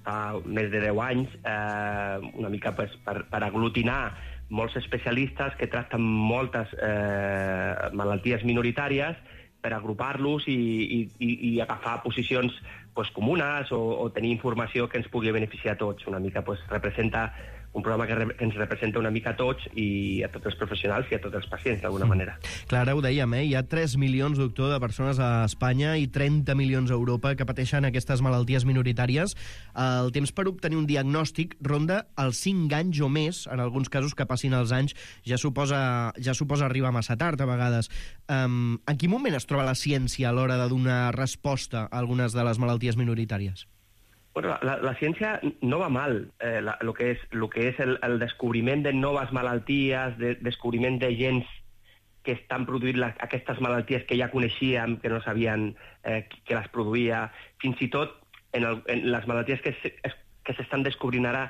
fa més de deu anys, eh, una mica pues, per, per aglutinar molts especialistes que tracten moltes eh, malalties minoritàries, per agrupar-los i, i, i agafar posicions pues, comunes o, o tenir informació que ens pugui beneficiar a tots. Una mica pues, representa un programa que, re, que ens representa una mica a tots i a tots els professionals i a tots els pacients, d'alguna manera. Clar, ara ho dèiem, eh? Hi ha tres milions, doctor, de persones a Espanya i trenta milions a Europa que pateixen aquestes malalties minoritàries. El temps per obtenir un diagnòstic ronda els cinc anys o més, en alguns casos que passin els anys ja suposa, ja suposa arribar massa tard, a vegades. Um, en quin moment es troba la ciència a l'hora de donar resposta a algunes de les malalties minoritàries? Bueno, la, la ciència no va mal. Eh, la, lo que és, lo que és el, el descobriment de noves malalties, de descobriment de gens que estan produint la, aquestes malalties que ja coneixíem, que no sabien eh, que les produïa. Fins i tot en, el, en les malalties que, se, es, que s'estan descobrint ara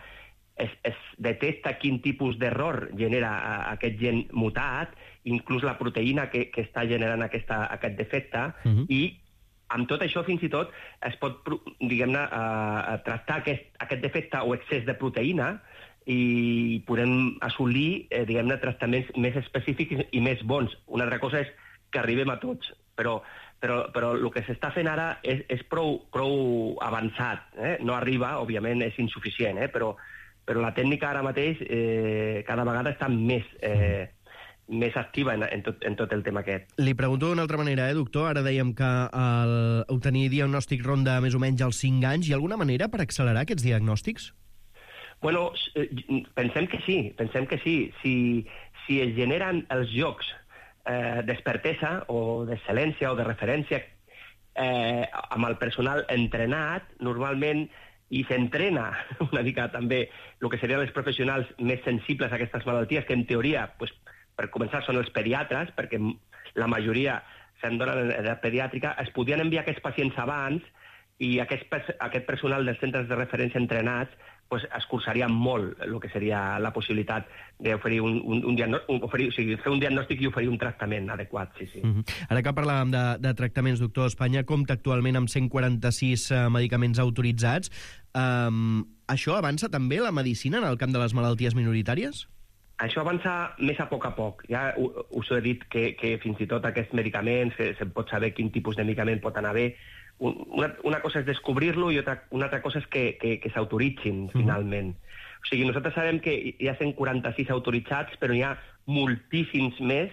es, es detecta quin tipus d'error genera a, aquest gen mutat, inclús la proteïna que, que està generant aquesta, aquest defecte, uh-huh. i amb tot això, fins i tot, es pot, diguem-ne, uh, tractar aquest, aquest defecte o excés de proteïna i podem assolir, eh, diguem-ne, tractaments més específics i més bons. Una altra cosa és que arribem a tots, però, però, però el que s'està fent ara és, és prou, prou avançat. Eh? No arriba, òbviament, és insuficient, eh? però, però la tècnica ara mateix eh, cada vegada està més... Eh, més activa en, en, tot, en tot el tema aquest. Li pregunto d'una altra manera, eh, doctor? Ara dèiem que el, obtenir diagnòstic ronda més o menys als cinc anys. Hi ha alguna manera per accelerar aquests diagnòstics? Bueno, pensem que sí, pensem que sí. Si, si es generen els llocs eh, d'expertesa o d'excel·lència o de referència eh, amb el personal entrenat, normalment, i s'entrena una mica també el que serien els professionals més sensibles a aquestes malalties, que en teoria, pues, per començar, són els pediatres, perquè la majoria se'n donen en edat pediàtrica, es podien enviar aquests pacients abans i aquest, aquest personal dels centres de referència entrenats pues, escurçaria molt el que seria la possibilitat d'oferir un, un, un, diagnòstic, oferir, o sigui, fer un diagnòstic i oferir un tractament adequat. Sí, sí. Mm-hmm. Ara que parlàvem de, de tractaments, doctor, Espanya compta actualment amb cent quaranta-sis uh, medicaments autoritzats. Um, això avança també la medicina en el camp de les malalties minoritàries? Això avança més a poc a poc. Ja us he dit que, que fins i tot aquests medicaments, se, se pot saber quin tipus de medicament pot anar bé. Una, una cosa és descobrir-lo i otra, una altra cosa és que, que, que s'autoritzin, mm. finalment. O sigui, nosaltres sabem que hi ha cent quaranta-sis autoritzats, però hi ha moltíssims més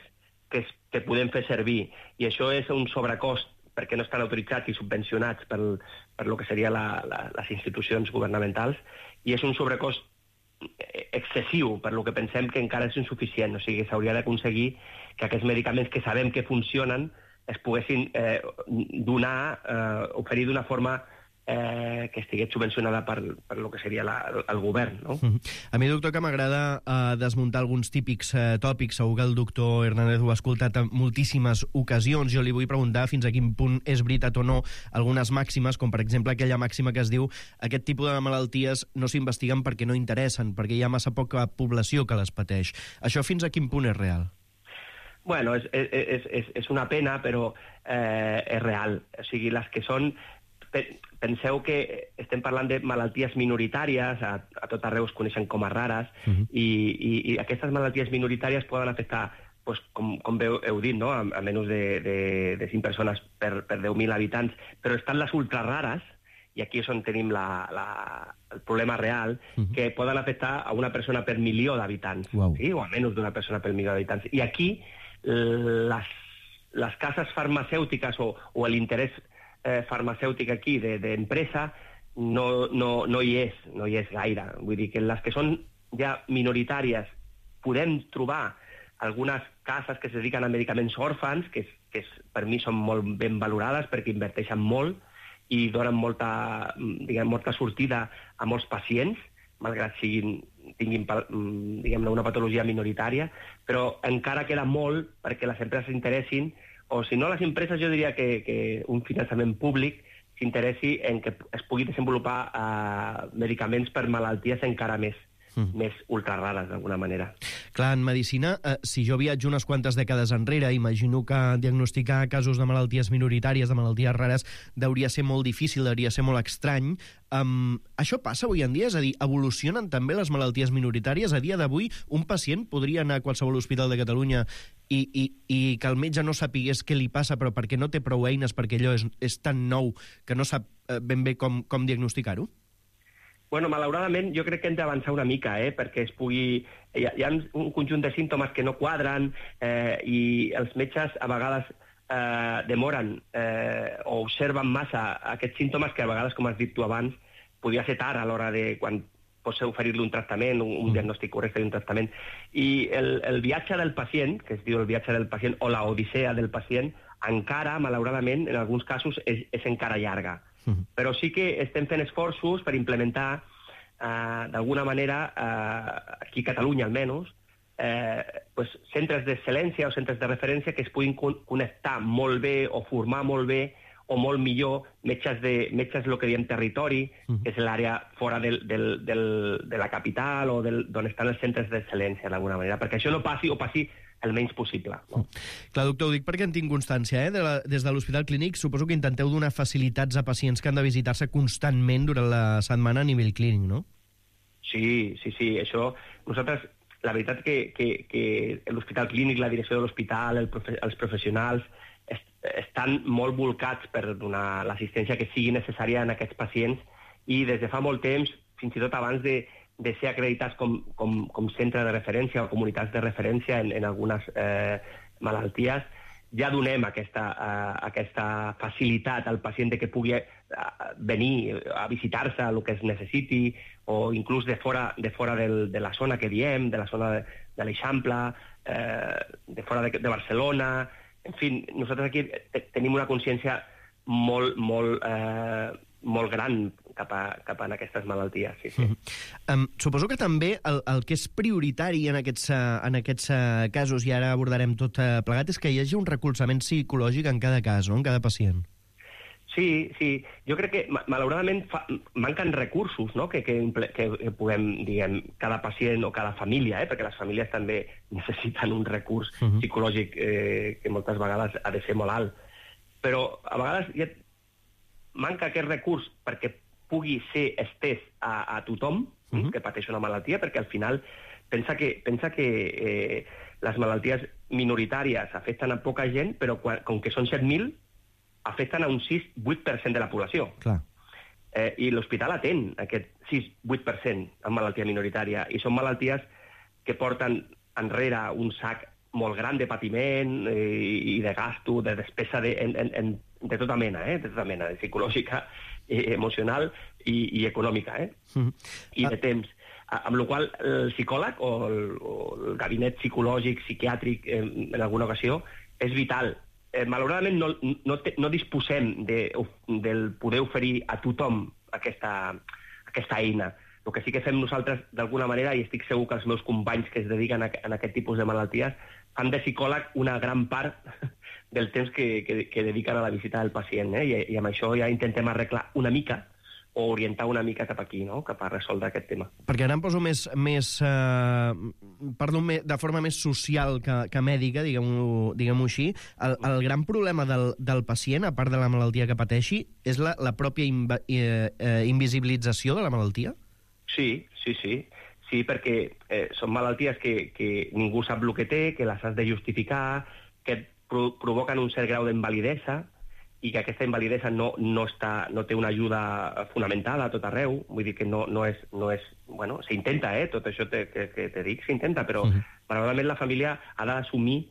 que, es, que podem fer servir. I això és un sobrecost perquè no estan autoritzats i subvencionats per, per lo que seria la, la, les institucions governamentals, i és un sobrecost excessiu, per lo que pensem que encara és insuficient. O sigui, s'hauria d'aconseguir que aquests medicaments que sabem que funcionen es poguessin eh, donar, eh, oferir d'una forma eh, que estigués subvencionada per, per lo que seria la, el govern, no? Mm-hmm. A mi, doctor, que m'agrada eh, desmuntar alguns típics eh, tòpics. Segur que el doctor Hernández ho ha escoltat en moltíssimes ocasions. Jo li vull preguntar fins a quin punt és veritat o no algunes màximes, com per exemple aquella màxima que es diu aquest tipus de malalties no s'investiguen perquè no interessen, perquè hi ha massa poca població que les pateix. Això fins a quin punt és real? Bueno, és, és, és, és una pena, però eh, és real. O sigui, les que són... Penseu que estem parlant de malalties minoritàries, a, a tot arreu es coneixen com a rares, uh-huh. i, i, i aquestes malalties minoritàries poden afectar, pues, com, com heu, heu dit, no? a, a menys de, de, de cinc persones per, per deu mil habitants, però estan les ultrarares, i aquí és on tenim la, la, el problema real, uh-huh. que poden afectar a una persona per milió d'habitants, wow. sí? o a menys d'una persona per milió d'habitants. I aquí les, les cases farmacèutiques o, o l'interès Eh, farmacèutica aquí d'empresa de, no, no, no hi és, no hi és gaire. Vull dir que les que són ja minoritàries podem trobar algunes cases que es dediquen a medicaments òrfans, que, és, que és, per mi són molt ben valorades perquè inverteixen molt i donen molta, diguem, molta sortida a molts pacients, malgrat siguin, tinguin diguem, una patologia minoritària, però encara queda molt perquè les empreses s'interessin, o si no, les empreses jo diria que, que un finançament públic s'interessi en que es pugui desenvolupar eh, medicaments per malalties encara més, mm. més ultrarares, d'alguna manera. Clar, en medicina, eh, si jo viatjo unes quantes dècades enrere, imagino que diagnosticar casos de malalties minoritàries, de malalties rares, hauria ser molt difícil, hauria ser molt estrany. Um, això passa avui en dia? És a dir, evolucionen també les malalties minoritàries? A dia d'avui, un pacient podria anar a qualsevol hospital de Catalunya i, i, i que el metge no sapigués què li passa, però perquè no té prou eines, perquè allò és, és tan nou que no sap eh, ben bé com, com diagnosticar-ho? Bueno, malauradament, jo crec que hem d'avançar una mica, eh, perquè es pugui... Hi ha, hi ha un conjunt de símptomes que no quadren eh, i els metges a vegades eh, demoren eh, o observen massa aquests símptomes que a vegades, com has dit tu abans, podia ser tard a l'hora de quan pots oferir-li un tractament, un, un diagnòstic correcte d'un tractament. I el, el viatge del pacient, que es diu el viatge del pacient, o la odissea del pacient, encara, malauradament, en alguns casos, és, és encara llarga. Uh-huh. Però sí que estem fent esforços per implementar, eh, d'alguna manera, eh, aquí a Catalunya almenys, eh, pues, centres d'excel·lència o centres de referència que es puguin con- connectar molt bé o formar molt bé o molt millor metges de metges el que diem territori, uh-huh. que és l'àrea fora del, del, del, de la capital o del, d'on estan els centres d'excel·lència, d'alguna manera, perquè això no passi o passi el menys possible. No? Clar, doctor, ho dic perquè en tinc constància. Eh? De la, des de l'Hospital Clínic suposo que intenteu donar facilitats a pacients que han de visitar-se constantment durant la setmana a nivell clínic, no? Sí, sí, sí. Això, nosaltres, la veritat que, que, que l'Hospital Clínic, la direcció de l'hospital, el profe, els professionals, est, estan molt volcats per donar l'assistència que sigui necessària en aquests pacients i des de fa molt temps, fins i tot abans de, de ser acreditats com, com, com centre de referència o comunitats de referència en, en algunes eh, malalties, ja donem aquesta, uh, aquesta facilitat al pacient de que pugui uh, venir a visitar-se el que es necessiti, o inclús de fora, de fora del, de la zona que diem, de la zona de, de l'Eixample, eh, de fora de, de Barcelona. En fi, nosaltres aquí tenim una consciència molt, molt, eh, molt gran cap a, cap a aquestes malalties. Sí, sí. Mm-hmm. Um, suposo que també el, el que és prioritari en aquests, en aquests uh, casos, i ara abordarem tot uh, plegat, és que hi hagi un recolzament psicològic en cada cas, no? En cada pacient. Sí, sí. Jo crec que, malauradament, fa, manquen recursos, no? que, que, que puguem, diguem, cada pacient o cada família, eh? perquè les famílies també necessiten un recurs uh-huh. psicològic eh, que moltes vegades ha de ser molt alt. Però a vegades ja manca aquest recurs perquè pugui ser estès a, a tothom uh-huh. que pateix una malaltia, perquè al final pensa que, pensa que eh, les malalties minoritàries afecten a poca gent, però quan, com que són set mil, afecten a un sis vuit per cent de la població. Clar. Eh, I l'hospital atén aquest sis vuit per cent en malaltia minoritària, i són malalties que porten enrere un sac molt gran de patiment eh, i de gasto, de despesa de, en, en, en, de tota mena, eh, de tota mena, de psicològica, eh, emocional i, i econòmica, eh? Mm-hmm. I de temps. Amb la qual cosa el psicòleg o el, o el gabinet psicològic, psiquiàtric, en, en alguna ocasió, és vital eh, malauradament no, no, te, no disposem de, del poder oferir a tothom aquesta, aquesta eina. El que sí que fem nosaltres, d'alguna manera, i estic segur que els meus companys que es dediquen a, a aquest tipus de malalties, fan de psicòleg una gran part del temps que, que, que dediquen a la visita del pacient, eh? I, i amb això ja intentem arreglar una mica o orientar una mica cap aquí, no? Cap a resoldre aquest tema. Perquè ara em poso més, més eh, parlo de forma més social que, que mèdica, diguem-ho diguem així. El, el gran problema del, del pacient, a part de la malaltia que pateixi, és la, la pròpia inva, eh, eh, invisibilització de la malaltia? Sí, sí, sí. Sí, perquè eh, són malalties que, que ningú sap el que té, que les has de justificar, que et pro provoquen un cert grau d'invalidesa i que aquesta invalidesa no, no, està, no té una ajuda fonamental a tot arreu. Vull dir que no, no és... No és bueno, s'intenta, eh? Tot això te, que, que te dic, s'intenta, però uh-huh. malauradament la família ha d'assumir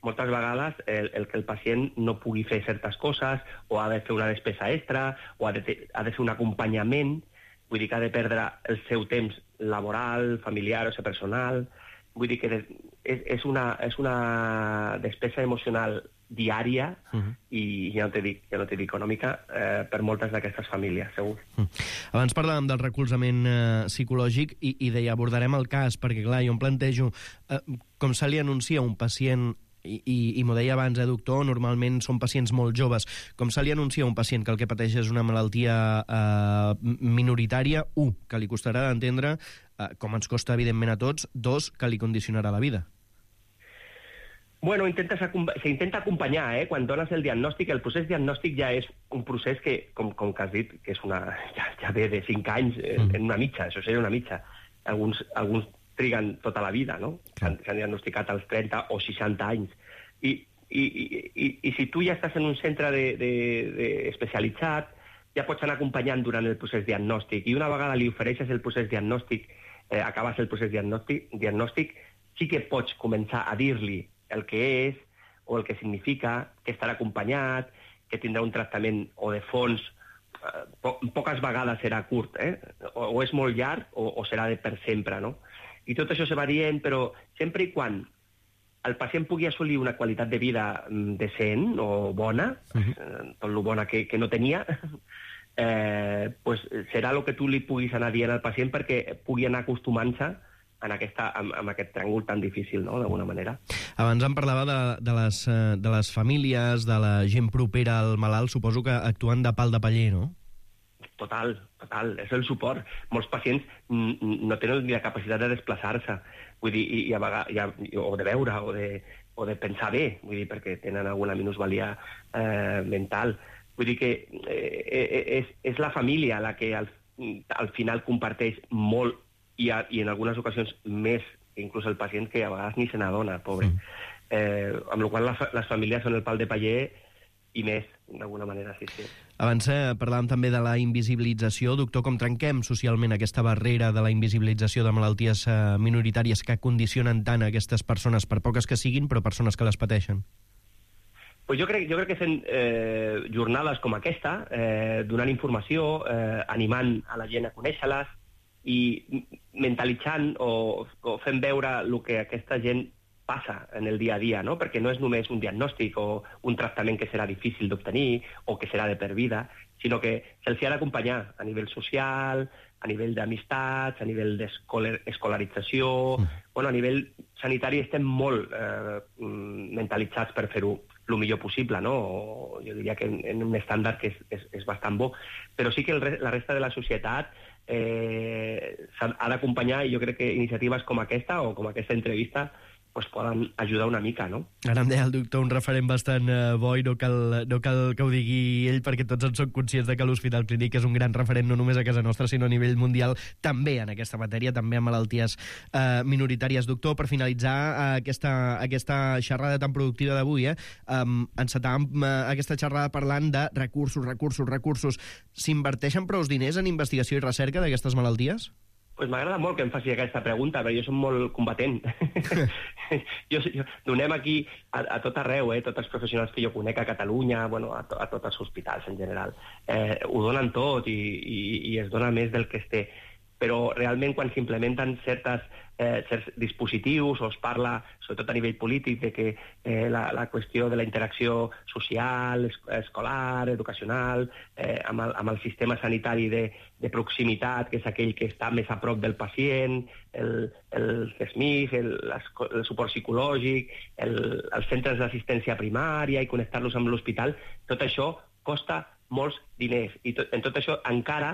moltes vegades el, el que el pacient no pugui fer certes coses, o ha de fer una despesa extra, o ha de, ha de fer un acompanyament. Vull dir que ha de perdre el seu temps laboral, familiar o personal. Vull dir que és, és, una, és una despesa emocional diària uh-huh. i ja no t'he dit, ja no t'he dit econòmica eh, per moltes d'aquestes famílies, segur. Uh-huh. Abans parlàvem del recolzament eh, psicològic i, i deia, abordarem el cas, perquè clar, jo em plantejo eh, com se li anuncia un pacient i, i, i m'ho deia abans, eh, doctor, normalment són pacients molt joves. Com se li anuncia a un pacient que el que pateix és una malaltia eh, minoritària? Un, que li costarà d'entendre, eh, com ens costa evidentment a tots. Dos, que li condicionarà la vida. Bueno, s'intenta acompanyar, eh? Quan dones el diagnòstic, el procés diagnòstic ja és un procés que, com, com que has dit, que és una, ja, ja ve de cinc anys, en, mm. en una mitja, això seria una mitja. Alguns, alguns triguen tota la vida, no? S'han diagnosticat als trenta o seixanta anys. I, i, i, i si tu ja estàs en un centre de, de, de especialitzat, ja pots anar acompanyant durant el procés diagnòstic. I una vegada li ofereixes el procés diagnòstic, eh, acabes el procés diagnòstic, diagnòstic, sí que pots començar a dir-li el que és o el que significa, que estarà acompanyat, que tindrà un tractament o de fons, eh, po poques vegades serà curt, eh? o, o és molt llarg o, o serà de per sempre, no? I tot això se va dient, però sempre i quan el pacient pugui assolir una qualitat de vida decent o bona, uh-huh. eh, tot lo bona que, que no tenia, eh, pues serà el que tu li puguis anar dient al pacient perquè pugui anar acostumant-se en, aquesta, en, en aquest tràngol tan difícil, no?, d'alguna manera. Abans em parlava de, de, les, de les famílies, de la gent propera al malalt, suposo que actuen de pal de paller, no? Total, total, és el suport. Molts pacients no tenen ni la capacitat de desplaçar-se, vull dir, i, i a vegades, i, o de veure, o de, o de pensar bé, vull dir, perquè tenen alguna minusvalia eh, mental. Vull dir que eh, és, és la família la que al, al final comparteix molt i, a, i en algunes ocasions més que inclús el pacient, que a vegades ni se n'adona, pobre. Mm. Eh, amb la qual les, les famílies són el pal de paller i més, d'alguna manera, sí, sí. Abans eh, parlàvem també de la invisibilització. Doctor, com trenquem socialment aquesta barrera de la invisibilització de malalties eh, minoritàries que condicionen tant a aquestes persones, per poques que siguin, però persones que les pateixen? Pues jo crec, jo crec que fent eh, jornades com aquesta, eh, donant informació, eh, animant a la gent a conèixer-les i mentalitzant o, o fent veure el que aquesta gent passa en el dia a dia, no? Perquè no és només un diagnòstic o un tractament que serà difícil d'obtenir o que serà de per vida, sinó que se'ls ha d'acompanyar a nivell social, a nivell d'amistats, a nivell d'escolarització... Mm. Bueno, a nivell sanitari estem molt eh, mentalitzats per fer-ho el millor possible, no? O jo diria que en, en un estàndard que és, és, és bastant bo. Però sí que el, la resta de la societat eh, ha d'acompanyar, i jo crec que iniciatives com aquesta o com aquesta entrevista pues poden ajudar una mica, no? Ara em deia el doctor un referent bastant uh, bo i no cal, no cal que ho digui ell, perquè tots en som conscients de que l'Hospital Clínic és un gran referent no només a casa nostra, sinó a nivell mundial, també en aquesta matèria, també en malalties uh, minoritàries. Doctor, per finalitzar uh, aquesta, aquesta xerrada tan productiva d'avui, eh, um, encetàvem uh, aquesta xerrada parlant de recursos, recursos, recursos. S'inverteixen prou diners en investigació i recerca d'aquestes malalties? Pues m'agrada molt que em faci aquesta pregunta, perquè jo som molt combatent. jo, jo, donem aquí a, a tot arreu, eh, tots els professionals que jo conec a Catalunya, bueno, a, to, a tots els hospitals en general, eh, ho donen tot i, i, i es dona més del que es té. però realment quan s'implementen certes, eh, certs dispositius o es parla, sobretot a nivell polític, de que eh, la, la qüestió de la interacció social, es, escolar, educacional, eh, amb, el, amb el sistema sanitari de, de proximitat, que és aquell que està més a prop del pacient, el, el C S M I F, el, el suport psicològic, el, els centres d'assistència primària i connectar-los amb l'hospital, tot això costa molts diners. I tot, en tot això encara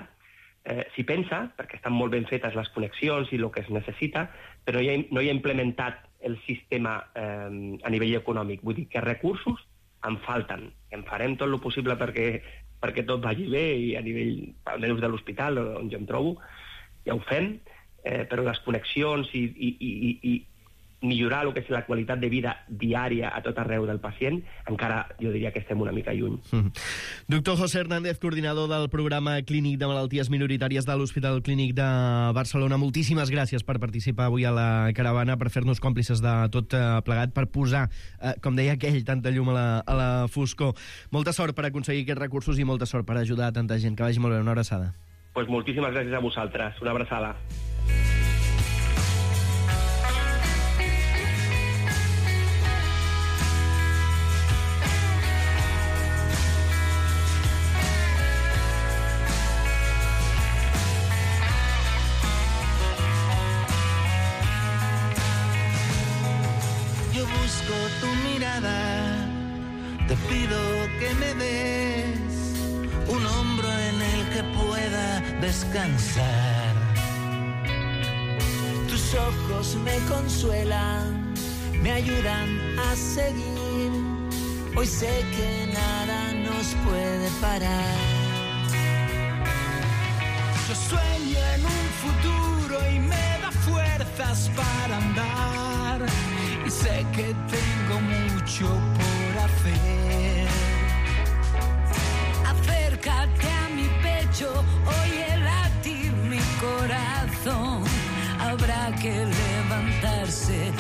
eh, s'hi pensa, perquè estan molt ben fetes les connexions i el que es necessita, però no hi ha, no hi ha implementat el sistema eh, a nivell econòmic. Vull dir que recursos en falten. En farem tot el possible perquè, perquè tot vagi bé i a nivell, almenys de l'hospital, on jo em trobo, ja ho fem, eh, però les connexions i, i, i, i millorar el que és la qualitat de vida diària a tot arreu del pacient, encara jo diria que estem una mica lluny. Mm. Doctor José Hernández, coordinador del programa clínic de malalties minoritàries de l'Hospital Clínic de Barcelona, moltíssimes gràcies per participar avui a la caravana, per fer-nos còmplices de tot plegat, per posar, eh, com deia aquell, tanta llum a la, a la foscor. Molta sort per aconseguir aquests recursos i molta sort per ajudar a tanta gent. Que vagi molt bé. Una abraçada. Pues moltíssimes gràcies a vosaltres. Una abraçada. Busco tu mirada, te pido que me des un hombro en el que pueda descansar. Tus ojos me consuelan, me ayudan a seguir. Hoy sé que nada nos puede parar. Yo sueño en un futuro y me da fuerzas para andar. Y sé que tengo mucho por hacer. Acércate a mi pecho, oye latir mi corazón. Habrá que levantarse